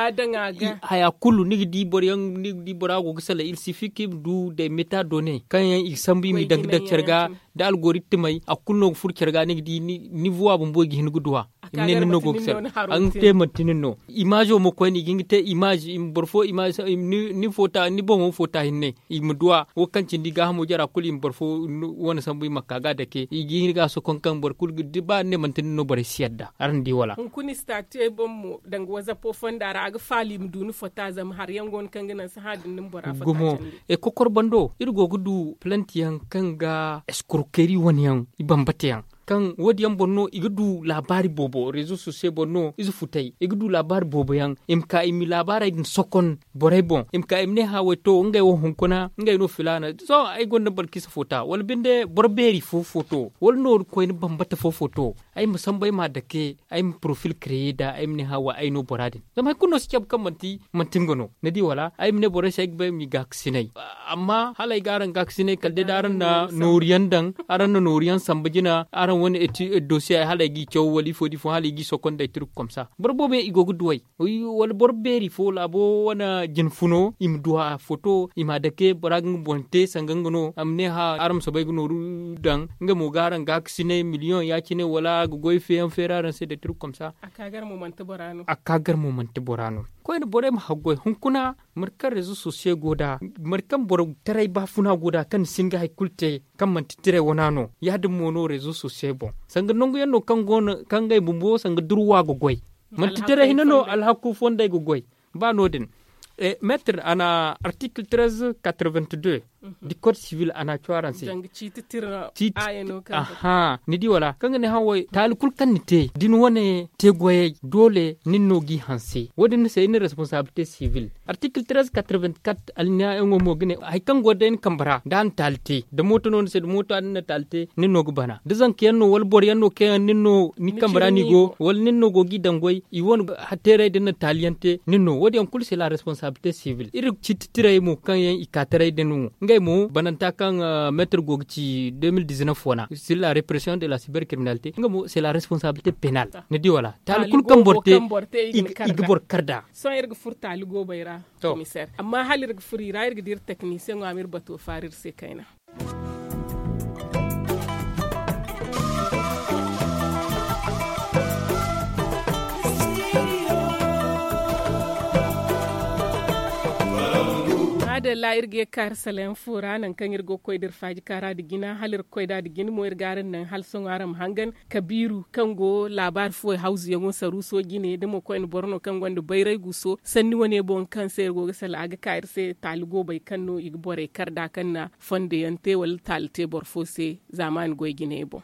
Haya kulu ni ga di boro yaŋ ni ga di bora go ga salaŋ il sifi kaŋ i ma du day meta done kaŋ yaŋ i ga sambu i ma i daŋ ga daŋ care ga da algoritmey a kulu no ga furo care ga ni ga di nivo a bumbo i ga hin ga duwa. I ma ne nin no go ga sar. Araŋ te manti nin no. Imaazo mo koyne i ga hin ga te imaazo i ma boro fo imaazo ni foota ni boŋo foota hinne. I ma duw'a wo kaŋ cindi gaahamo jara kulu i ma boro fo wane sambu i ma ka ga a dake i ga hin ga a sokon kaŋ boro kulu ga di ba ni ne manti nin no borey si yadda araŋ di wala. Hunkuna i si ta te boŋ mo danga wazapo fonda ra a ga faala i ma du ni fota zama hari yaŋ go no kaŋ ga naŋ sahã din ni ma bora fota candi. Gumo. Kokor bando iri go ga du palanti yaŋ kaŋ ga eskorkeri wane yaŋ i bambata yaŋ kaŋ wo- din yaŋ boŋ no i ga du laabaari boobo reezo sosiyo boŋ no ize futay i ga du laabaari boobo yaŋ i ma ka i ma laabaarey din sokon borey boŋ i ma ka i ma ne hã way to ngey wo hunkuna ngey no filaana sohõ ay gonda balkisa fota wala binde boro beeri fo foto wala nooru koyne bambata fo foto ay ma sambu ay m'a dake ay ma porofil kareye nd'a ay ma ne hã wa ay no bora din zama hari kulu no si cabe kaŋ manti nga no ni di wala ay ma ne borey se ay ga bay ma i gaakasinay. Amma hala ay ga araŋ gaakasinay kala day da araŋ na nooru yaŋ daŋ araŋ na nooru yaŋ samba jina araŋ wane dosiye hala ay g'i caw wala ifo da ifo hala i g'i sokonday turku komsa boro boobo yaŋ i go ga duw'ay. Wala boro beeri fo laabo wane jine funo i ma du a foto i m'a dake bora ga nga boŋ te sanga nga no a ma ne hã araŋ ma soobay ga nooru daŋ nga mo ga araŋ gaakasinay miliyoŋ ya- cine wala a ga goy feeyaŋ feeri araŋ se day turku komsa. A ka gar mo manti bora no. Koyne borey ma haggoy hunkuna mate kaŋ reezo sosiyo go nd'a mate kaŋ boro taray baafuna go nd'a kaŋ ni si hin ga hari kulu te kaŋ manti tiray wana no ya- din mo no reezo sosiyo boŋ sanga nangu yaŋ no kaŋ go no kaŋ ngey bumbo sanga durwa ga goy. Manti tiray hinne no alhaku fondey ga goy. Ba no- din meetir a na artikil trez katrevent de du kod sivil a na a cwa araŋ se. Ciiti tira. Aha ni di wala kaŋ ga ne haway taali kulu kaŋ ni te da ni wane te goyey doole nin no g'i hanse wo- din ni se iri na responsabilite sivil. Artikil trez katrevent kat alineya yaŋo mo ga ne hari kaŋ go day ni kambe ra da a na taali te da mooto no ni se da mooto a din na taali te nin no ga bana da zanka yaŋ no wala boro yaŋ no kaŋ yaŋ nin no ni kambe ra no i go wala nin no go g'i daŋ goy i wane teerey da ni na taali yaŋ te nin no wo- din yaŋ kulu se la responsabilite sivil iri ciiti tirey mo kaŋ yaŋ i ka taray din wo ngey mo bananta kaŋ meetir go ga ci de mil dizinef wana sur la represiyoŋ de la siber kiriminalite nga mo se la responsabilite penal. Ni di wala taali kulu kaŋ boro te i ga boro kar nd'a. Sohõ iri ga furo taali goobey ra komiseer amma hala iri ga furo i ra iri ga di iri teknisiyeŋo a ma iri bato faara iri se kayna. Maadalla iri ga ye ga ka iri salayaŋ fo ra nangu kaŋ iri go ga koy da iri faaji kaara nda jina hala iri ga koy nd'a nda jina mo iri ga araŋ naŋ hala sohõ araŋ ma hangan kabiiru kaŋ go laabaari fuwey hawzuyaŋo saruuso jine da mo koyne boro no kaŋ gonda bayray guso sanni wane boŋ kaŋ se iri go ga sala a ga ka iri se taali goobey kaŋ no i ga borey kar nd'a kaŋ na fondo yaŋ te wala taali te boro fo se zaamaani goy jiney boŋ.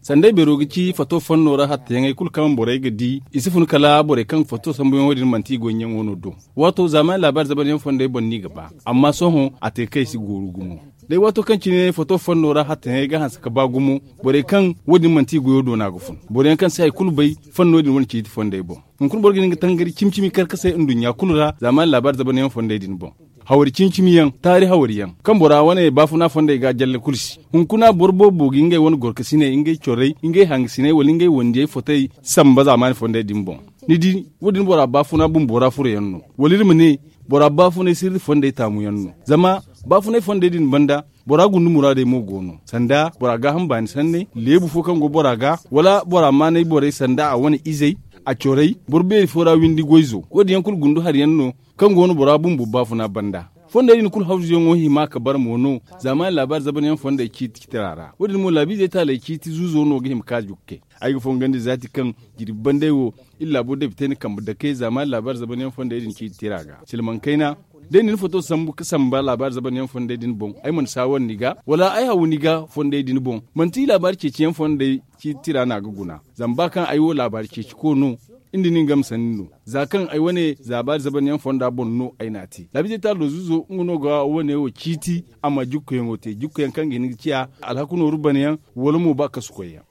Sanday beero ga ci fato fanno ra hattayaŋey kulu kaŋ borey ga di i si fun kala borey kaŋ fato sambuyaŋo din manti i goyyaŋo no do. Waato zaamaani laabaari zabanyaŋ fondey boŋ no i ga ba amma sohõ a te kaŋ i si gooru gumo. Day waato kaŋ cine foto fanno ra hattayaŋey ga hanse ga ba gumo borey kaŋ wo- din manti i goyo doona ga fun boroyaŋ kaŋ si hari kulu bay fanno din wane ciiti fondey boŋ. Hunkuna boro ga hin ga tangari cimi cimi karkasay nduɲɲa kulu ra zaamaani laabaari zabanyaŋ fondey din boŋ. Hawari cimi cimi yaŋ taari hawari yaŋ kaŋ bora wane baafuna fondey ga jalle kulu se. Hunkuna boro boobo ga ngey wane gorkasiney ngey corey ngey hangasiney wala ngey wandiyey fotey samba zaamaani fondey din boŋ. Ni di wo- din bora baafuna bumbo ra furo yaŋ no wala iri ma ne bora baafunay sirri fondey taamu yaŋ no. Zama baafunay fondey din banda bora gunda muraadey mo go no sanda bora gaaham baani sanney leebu fo kaŋ go bora ga wala bora maanay borey sanda a wane izey a corey boro beeri fo ra windi goyzo wo- din yaŋ kulu gundu hari yaŋ no kaŋ go no bora bumbo baafuna banda. Fondey din kulu hawzuyaŋo hima ka bara mo no zaamaani laabaari zabanyaŋ fondey ciiti tira ra wo- din mo laabiizey taaley ciiti zuuzo no ga hima ka jukka. Ay ga fongandi zaati kaŋ jirbi bandey wo iri laabo debitey na kambe dake zaamaani laabaari zabanyaŋ fondey din ciiti tira ga silmaŋ kayna. Day na ni foto sambu ga samba laabaari zabanyaŋ fondey din boŋ ay mana saawar ni ga wala ay haw ni ga fondey din boŋ manti laabaari ceeciyaŋ fondey ciiti tira no a ga guna. Zama ba kaŋ ay wo laabaari ceeci ko no iri nda nin game sanni no za kaŋ ay wane laabaari zabanyaŋ fonda boŋ no ay n'a te laabiizey taalo zuuzo nga no ga wane wo ciiti a ma jukkuyaŋo te jukkuyaŋ kaŋ ga hin ga ciya alhaku nooru banayaŋ wala mo ba kasu koyyaŋ.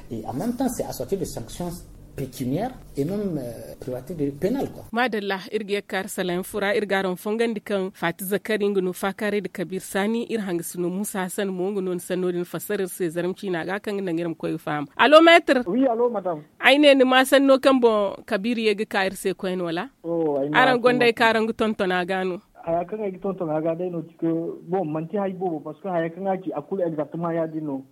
Maadalla iri ga ye ga kaari salayaŋ fura iri ga araŋ fongandi kaŋ faati zakari nda no faakaaray nda kabiir saani iri hangasino muusa hasan mo nga no ni sanno din fassara iri se zarma ciina ga kaŋ ga naŋ iri ma koy ga faham. Allo meetir. Ay ne ni ma sanno kaŋ boŋ kabiir ye ga ka iri se koyne wala? Araŋ gonda ay kaŋ araŋ ga tonton a ga no. Haya kaŋ ay ga tonton a ga day no, tike bon manti hari boobo parce que haya kaŋ a ci a kulu exactement ya- din no.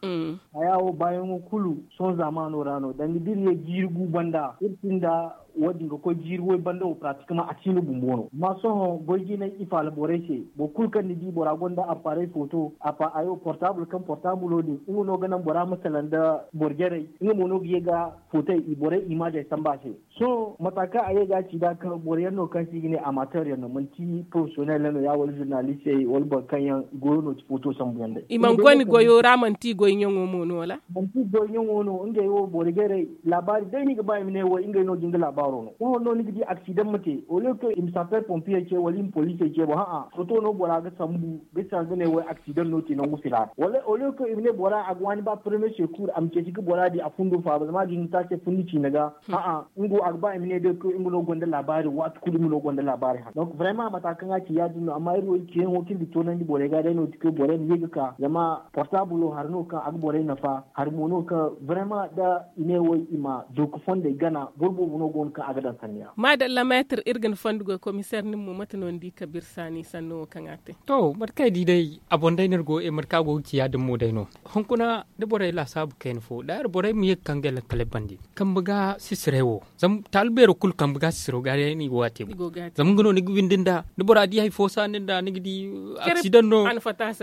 Haya wo baayaŋo kulu sohõ zaamaano ra no danga da iri ye jiiri gu banda iri sinda wo- din ga koy jiiri way banda wo pratiquement a si no bumbo no amma sohõ goy jinay i faala borey se. Boro kulu kaŋ ni di bora gonda appareil photo a pa ayo portable kaŋ portable din nga no ga naŋ bora ma salaŋ nda boro jarey nga mo no ga ye ga photo borey image ay samba se. Sohõ mata kaŋ a ye ga a ci nd'a kaŋ boro yaŋ no kaŋ se i ga ne amateur yaŋ no manti professionnel yaŋ no ya wala journaliste yaŋ wala boro kaŋ yaŋ i goyo no ti photo sambu yaŋ day. I mana goy ni goyo ra manti i goy ɲaŋo mo no wala? Manti i goy ɲaŋo no ngey wo boro jarey laabaari day no i ga ba i ma ne wo ngey no ga nga laabaaro no sohõ no ni ga di accident ma te au lieu kaŋ i ma sapeur pompier ce wala i ma police ce boŋ ha'a photo no bora ga sambu bisa ga ne wo accident no te nangu fila ra wala au lieu kaŋ i ma ne bora a ga waani ba premier secours a ma ceeci ga bora di a fundo faaba zama a ga hin ga te a se fundi ciina ga. A'a, nga wo a ga ba i ma ne day koy nga no gonda laabaari waati kulu nga no gonda laabaari haŋ donc vraiment mata kaŋ a ci ya- din no amma iri wo iri ciyaŋo kaŋ iri ga toonandi borey ga day no ti koy borey ma ye ga ka zama portable wo hari no kaŋ a ga borey nafa hari mo no kaŋ vraiment da i ne wo i ma dooku fondey gana boro boobo no go no kaŋ a ga daŋ sanni ra. Maadalla meetir iri ga ni fondo goy komiseer nin mo mate no ni di kabiir saani sanno wo kaŋ a te? To mate kaŋ ay di day a boŋ day no iri go mate kaŋ a go ga ci ya- din mo day no. Hunkuna da borey laasaabu kayna fo daayer borey ma ye ga kaŋ ga lakkal ay bande kambe ga sisiray wo zama taali beero kulu kambe ga sisiro ga day no i go ga a te. Zama nga no ni ga windi nd'a da bora di hari fo saani nd'a ni ga di aksidaŋ no.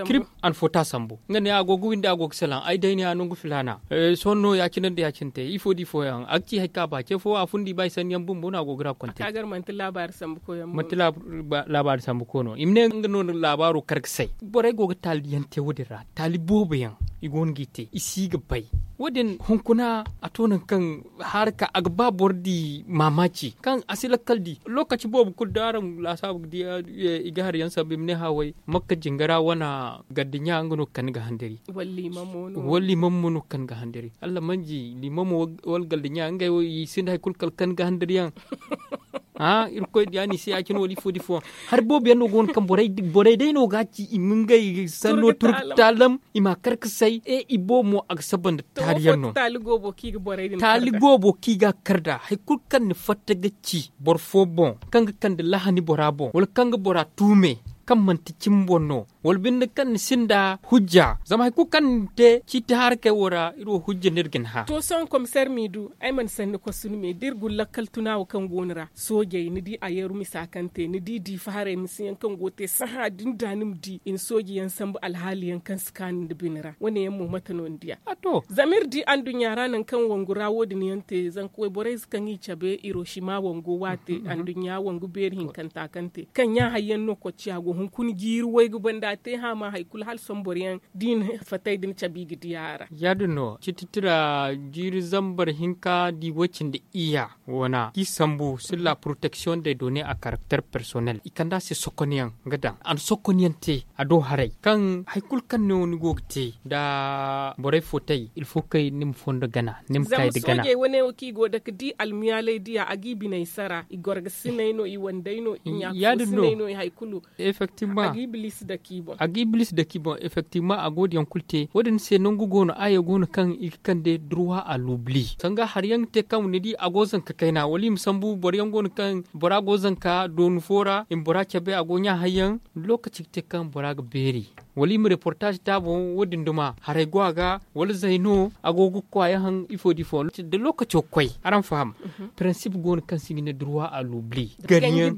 Kirip a na fota sambu nga ne a go ga windi a go ga salaŋ ay day ne a nangu filaana. Sohõ no ya- cine nda ya- cine te ifo da ifo yaŋ a ga ci hari kaŋ a ba ce fo a fundi ba i sanni yaŋ bumbo no a go ga ra konte. Manti laabaari sambu koy no i ma ne nga no laabaaro kar ga say borey go ga taali yaŋ te wo- din ra taali boobo yaŋ i go no g'i te i si ga bay. Wo- din hunkuna a to nangu kaŋ haara ka a ga ba boro di maamaaci kaŋ a si lakkal di lookaci boobo kulu da araŋ laasaabu ga di i ga hari yaŋ sambu i ma ne haway makka jingara wane garda ɲa nga no ga kande ga handari. Wala liimam mo no ga kande ga handari allah manji liimamo wala garda ɲa ngey wo i sinda hari kulu kala ga kande ga handari yaŋ. Irkoy diya no i se ya- cine wala ifo da ifo yaŋ hari boobo yaŋ no go no kaŋ borey day no ga a ci i ma ngey sanno turku taalam i ma a kar ga say e i boobo mo a ga saba nda taali yaŋ no. Taali goobo kaŋ i ga a kar nd'a hari kulu kaŋ ni fatta ga ci boro fo boŋ kaŋ ga kande lahani bora boŋ wala kaŋ ga bora tuume kaŋ manti cimi boŋ no wala binde kaŋ ni sinda hujja zama hari kulu kaŋ ni te ciiti harakey wo ra iri wo hujja no iri ga ni hã. To sohõ komiseer m'i du ay mana sanni kosu ni me da iri guna lakkal tuna wo kaŋ go ni ra soojey ni di a yeeru misa kaŋ te ni di diifa haray misa yaŋ kaŋ go ga te sahã da ni da ni ma di i na sooji yaŋ sambu alhaali yaŋ kaŋ si kaanu nda bine ra wane yaŋ mo mate no ni diya? Zama iri di anduɲɲa ra nangu kaŋ wangu ra wo- din yaŋ te zanka wayborey ze kaŋ i cabe hiroshima wango waate anduɲɲa wangu beeri hinkanta kaŋ te kaŋ ɲa hari yaŋ no kocciya go hunkuna jiiri waygu banda a te hã ma hari kulu hala sohõ boro yaŋ da i na fatey din cabe i ga diya a ra. Ya- din no ciiti tira jiiri zambar hinka di way cindi iyya wana kaŋ i sambu sur la protection de données à caractère personnel i kand'a se sokonyaŋ ga daŋ a na sokonyaŋ te a do haray kaŋ hari kulu kaŋ no ni go ga te nda borey fo tay ilfo kay ni ma fondo gana ni ma kay nda gana. Soojey wane wo kaŋ i go ga dake da i almiyaaley diya a ga i biney sara i gorgasiney no i wandey no i ɲaakasiney no i hari kulu. Effectivement a ga ibliisi dake i boŋ effectivement a go ga yaŋ kulu te wo- din se nangu go no aya go no kaŋ i ga kande droit à l'oubli sanga hari yaŋ ga te kaŋ ni di a go zanka kayna wala i ma sambu boro yaŋ go no kaŋ bora go zanka doonu fo ra i ma bora cabe a go ɲa hari yaŋ. Lookaci ga te kaŋ bora ga beeri wala i ma reportaaz te a boŋ wo- din duma haray go a ga wala zay no a go ga kwaaya haŋ ifo da ifo da lookaco ga koy araŋ faham. Prinsipe go no kaŋ se i ga ne droit à l'oubli ganyaŋ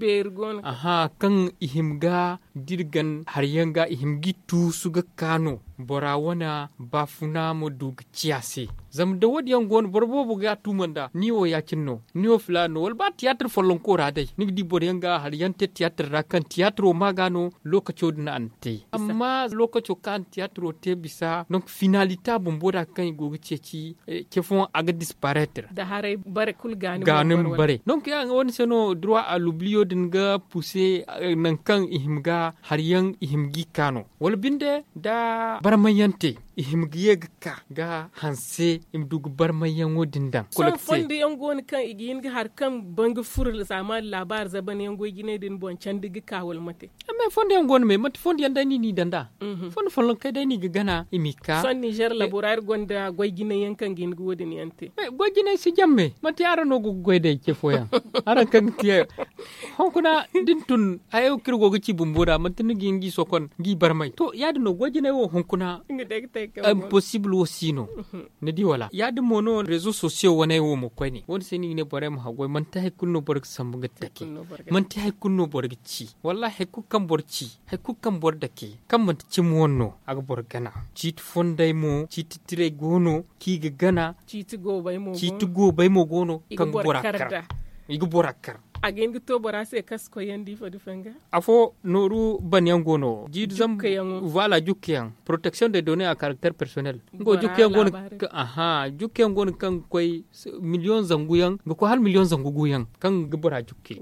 aha kaŋ i hima ga da iri gan hari yaŋ ga i hima ga i tuusu ga ka no bora wane baafuna ma du ga ciya se. Zama da wo- din yaŋ go no boro boobo ga a tuuma nd'a ni wo ya- cine no ni wo filaana no wala ba tiyaatir follonko ra day ni ga di boro yaŋ ga hari yaŋ te tiyaatir ra kaŋ tiyaatiro ma ga no lookaco din a na te amma lookaco kaŋ a na tiyaatiro te bisa donk finalite a bumbo da kaŋ i go ga ceeci ce fooyaŋ a ga dispareetir. Ga ni ma bare donk ya- din ga wane se no droit à l'oubli din ga puuse nangu kaŋ i hima ga hari yaŋ i hima ga i ka no wala binde da barmay yaŋ te. I hima ga ye ga ka ga hanse i ma du ga barmayyaŋo din daŋ. Sohõ fondo yaŋ go no kaŋ i ga hin ga hari kaŋ ban ga furo zaaman laabaari zaban yaŋ goy jinay din boŋ candi ga ka wala mate? Amma fondo yaŋ go no me manti fondo yaŋ day no i n'i daŋ nd'a. Fondo follonkey day no i ga gana i m'i ka. Sohõ ninzeer labora iri gonda goy jinay yaŋ kaŋ ga hin ga wo- din yaŋ te. Goy jinay si jamme manti araŋ no go ga goy day ce fooyaŋ. Araŋ kaŋ ga ti hunkuna da ni tun hayo kaŋ iri go ga ci bumbo nd'a manti ni ga hin ga i sokon ga i barmay to ya- din no goy jinay wo hunkuna. Imposibul wo si no. Ni di wala ya- din mo no rezo sosiyo wane wo mo koyne wo- din se no i ga ne borey ma haggoy manti hari kulu no boro ga sambu ga dake. Manti hari kulu no boro ga ci wallahi hari kulu kaŋ boro ci hari kulu kaŋ boro dake kaŋ manti cimi wane no a ga boro gana. Ciiti fondey mo ciiti tiray go no kaŋ i ga gana. Ciiti goobey mo go no kaŋ ga bora kar. I ga bora kar. A ga hin ga to bora se kaŋ si koy yaŋ da ifo da fanga. Afo nooru ban yaŋ go no jiiri zambu. Waala jukka yaŋ poroteksiyoŋ de done a karakter personel. Nga wo jukka yaŋ go no kaŋ ga koy miliyoŋ zangu yaŋ ga koy hala miliyoŋ zangu gu yaŋ kaŋ ga bora jukke.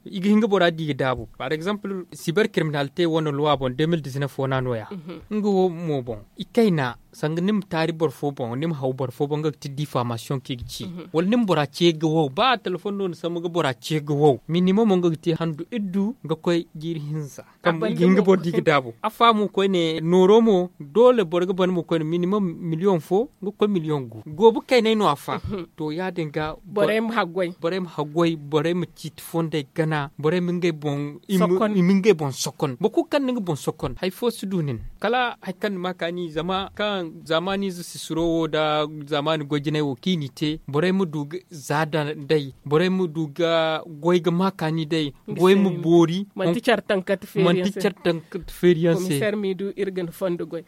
I ga hin ga bora di ga daabu par exemple siber kiriminalite wane luwa boŋ de mil dizinef wana no- ya. Nga wo mo boŋ i kayna sanga ni ma taari boro fo boŋ ni ma haw boro fo boŋ nga ga ti difamasiyoŋ kaŋ i ga ci wala ni ma bora ce ga wow ba telefoŋ no ni sambu ga bora ce ga wow minimum nga ga te handu iddu ga koy jiiri hinza. Kaŋ i ga hin ga boro di ga daabu a faamu koyne nooro mo doole boro ga ban mo koyne minimum miliyoŋ fo ga koy miliyoŋ gu goobu kaynay no a fa. To ya- din ga borey ma haggoy borey ma ciiti fondey gana borey ma ngey boŋ i ma ngey boŋ sokon boro kulu kaŋ na nga boŋ sokon hari fo si du nin. Kala hari kaŋ ni ma kaani zama kaŋ zaamaani ize sisiro wo nda zaamaani goy jinay wo kaŋ i n'i te borey ma du ga za day borey ma du ga goy ga ma kaani day goy ma boori. Manti care tankante feeri yaŋ se.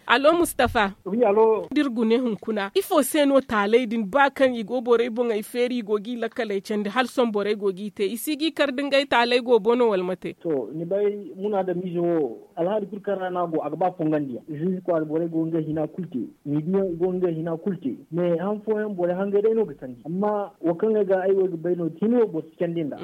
Alo mustafa da iri gune hunkuna ifo se no taalay din ba kaŋ i go borey boŋey feeri i go ga i lakkaley candi hala sohõ borey go ga i te i si ga i kar da ngey taalay go boŋ no wala mate? To ni bay muna da miize wo alhaali kulu kaŋ ra no a go a ga ba fongandi yaŋ ziize kwaara borey go ga ngey hina kulu te. Miidiyaŋ i go ga ngey hina kulu te. Me han fooyaŋ borey hangey day no ga sandi amma wo kaŋ ay ga ay wo ay ga bay no da hin wo boro si candi nd'a.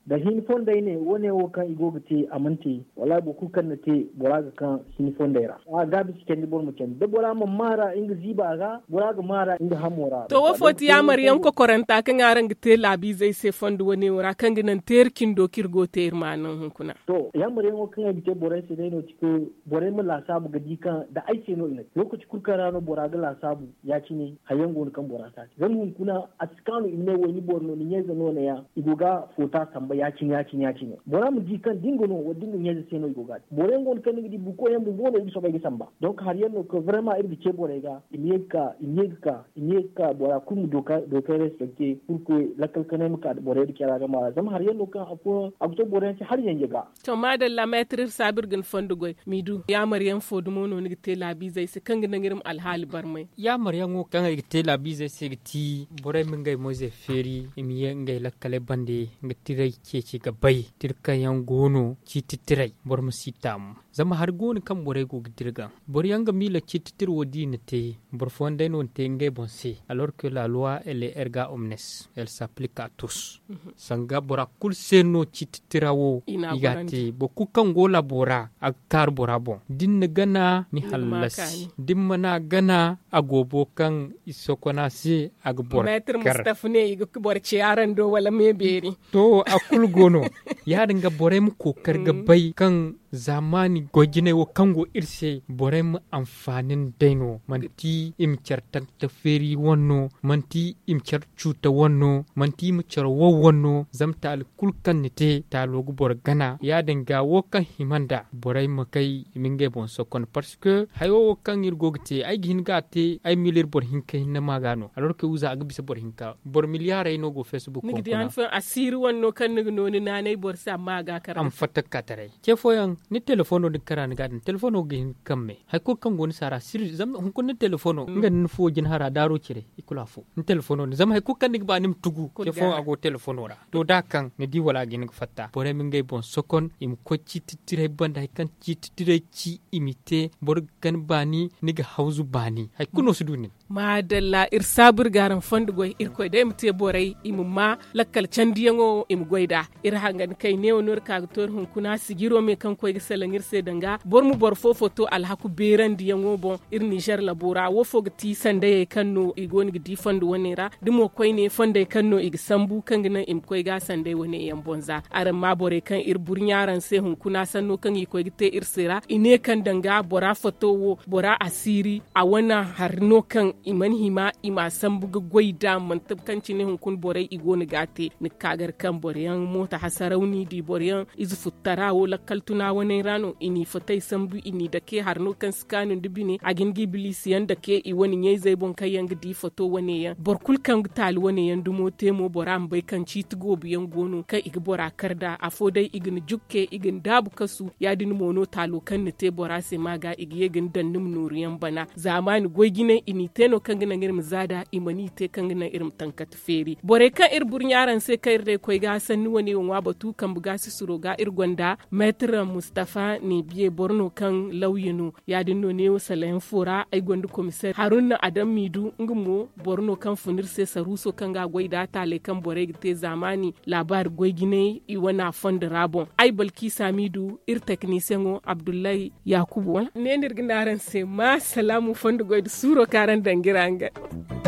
Da hin fondey ne wo- ne wo kaŋ i go ga te a mana te. Wallaahi boro kulu kaŋ na te bora ga kaŋ hin fondey ra. A gaabi si candi boro ma candi da bora mana maara nga ziiba ra bora ga maara nga hamo ra. To wo fo ti yaamar yaŋ kokoranta kaŋ araŋ ga te laabiizey se fondo wane wo ra kaŋ ga naŋ teeri cindo kaŋ iri go ga te iri ma a naŋ hunkuna. To yaamar yaŋo kaŋ ay ga te borey se day no ti kaŋ borey ma laasaabu ga di kaŋ da ay se no i na te lookaci kulu kaŋ ra no bora ga laasaabu. Ya- cine hari yaŋ go no kaŋ bora si a te zama hunkuna a si kaanu i ma ne wo ni boro no ni ɲayze no ne- ya i go ga foota samba ya- cine ya- cine ya- cine bora ma di kaŋ da nga no wala da nga ɲayze se no i go ga a te boro yaŋ go no kaŋ ni ga di buko yaŋ bumbo no i ga soobay ga samba. Donk hari yaŋ no kaŋ barema iri ga ce borey ga i ma ye ga ka i ma ye ga ka i ma ye ga ka bora kulu ma dookay respekte purke lakkal kanay ma ka borey da care a ga maara zama hari yaŋ no kaŋ afooyaŋ a ga to boro yaŋ se hari yanje ga. To maadalla meetir iri saabu iri ga ni fondo goy m'i du yaamar yaŋ fo dumo no ni ga te laabiizey se kaŋ ga naŋ iri ma alhaali barmay? Yaamar yaŋo kaŋ ay ga te laabiizey se ga ti borey ma ngey moyzey feeri i ma ye ngey lakkaley bande nga tiray ceeci ga bay tira kaŋ yaŋ go no ciiti tiray boro ma si taamu. Zama hari go no kaŋ borey go ga dirgan boro yaŋ ga miila ciiti tira wo da i na te boro fooyaŋ day no na te ngey boŋ se. Alors que la loi elle est erga omnes elle s'applique à tous. Sanga bora kulu se no ciiti tira wo i ga a te boro kulu kaŋ go laabo ra a ga kaaru bora boŋ da ni na gana ni hallasi da ni mana gana a goobo kaŋ i sokon a se a ga boro kar. Mustafa ne i ga boro ce araŋ do wala me beeri. To a kulu go no ya- din ga borey ma kookari ga bay kaŋ zaamaani goy jinay wo kaŋ go iri se borey ma anfaani nd'ey no manti i ma care tanta feeri wane no manti i ma care cuuta wane no manti i ma care wow wane no zama taali kulu kaŋ ni te taalo ga boro gana ya- din ga wo kaŋ hima nd'a borey ma kay i ma ngey boŋ sokon parce que hayo wo kaŋ iri go ga te ay ga hin ga a te ay ma miila iri boro hinka hinne ma ga no alors que wuza a ga bisa boro hinka boro miliyaarey no go facebook ni ga di han fooyaŋ asiiri wane no kaŋ ni ga no ni naanay boro se amma a ga a kar a ma fatta ga ka taray ce fooyaŋ ni telefono din kara ni ga a daŋ telefono ga hin ga kamme hari kulu kaŋ go ni se a ra sirri zama hunkuna ni telefono nga nda ni fuwo jinhara daaro cire i kulu afo ni telefono din zama hari kulu kaŋ ni ga ba ni ma tugu ce fooyaŋ a go telefono ra to da a kaŋ ni di wala a ga hin ga fatta borey ma ngey boŋ sokon i ma koy ciiti tiray banda hari kaŋ ciiti tiray ci i m'i te boro ga gana baani ni ga hawzu baani hari kulu no si du nin. Maadalla iri saabu iri ga araŋ fondo goy irkoy day ma te borey i ma ma lakkal candiyaŋo i ma goy nd'a. Iri hangan kay neewo no iri ka ga to iri hunkuna sijiro me kaŋ koy. I ga salaŋ iri se danga boro ma boro fo foto alhaku beerandiyaŋo boŋ. Iri nizer labo ra wo fo ga ti sandayey kaŋ no i go no ga di fondo wane ra da mo koyne fondey kaŋ no i ga sambu kaŋ ga naŋ i ma koy ga sanday wane yaŋ boŋ za. Araŋ ma borey kaŋ iri burɲa araŋ se hunkuna sanno kaŋ i koy ga te iri se ra i ne kaŋ danga bora foto wo bora asiiri a wane hari no kaŋ i mana hima i ma a sambu ga goy nd'a manti kaŋ cine hunkuna borey i go no ga a te ni ga ka gar kaŋ boro yaŋ mooto hasaraw no i di boro yaŋ ize futtara wo lakkal tuna waney ra no i n'i fatey sambu i n'i dake hari no kaŋ si kaanu nda bine a ga hin ga ibiliisi yaŋ dake i wane ɲayzey boŋ kaŋ yaŋ ga di foto wane yaŋ boro kulu kaŋ ga taali wane yaŋ dumo te mo bora ma bay kaŋ ciiti goobu yaŋ go no kaŋ i ga bora kar nd'a afo day i ga ni jukke i ga ni daabu kasu ya- din mo no taalo kaŋ ni te bora se ma ga i ga ye ga ni daŋ ni ma nooru yaŋ bana zaamaani goy jinay i n'i te no kaŋ ga naŋ iri ma za nd'a i mana i te kaŋ ga naŋ iri ma tankati feeri borey kaŋ iri burɲa araŋ se kaŋ iri day koy ga sanni wane wo ŋwa batu kambe ga sisiro ga iri gonda meetir mustafa ne biye boro no kaŋ lawya no ya- din no neewo salayaŋ fo ra ay gonda komiseer haruna adam miidu nga mo boro no kaŋ fun iri se saruuso kaŋ ga a goy nd'a taaley kaŋ borey ga te zaamaani laabaari goy jinay i wane a fondo ra boŋ ay balkiisa miidu iri teknisiyeŋo abdullahi yaakubu wala ne no iri ga ne araŋ se ma salaamu fondo goy nda suuro kaŋ araŋ daŋ ga iri hangan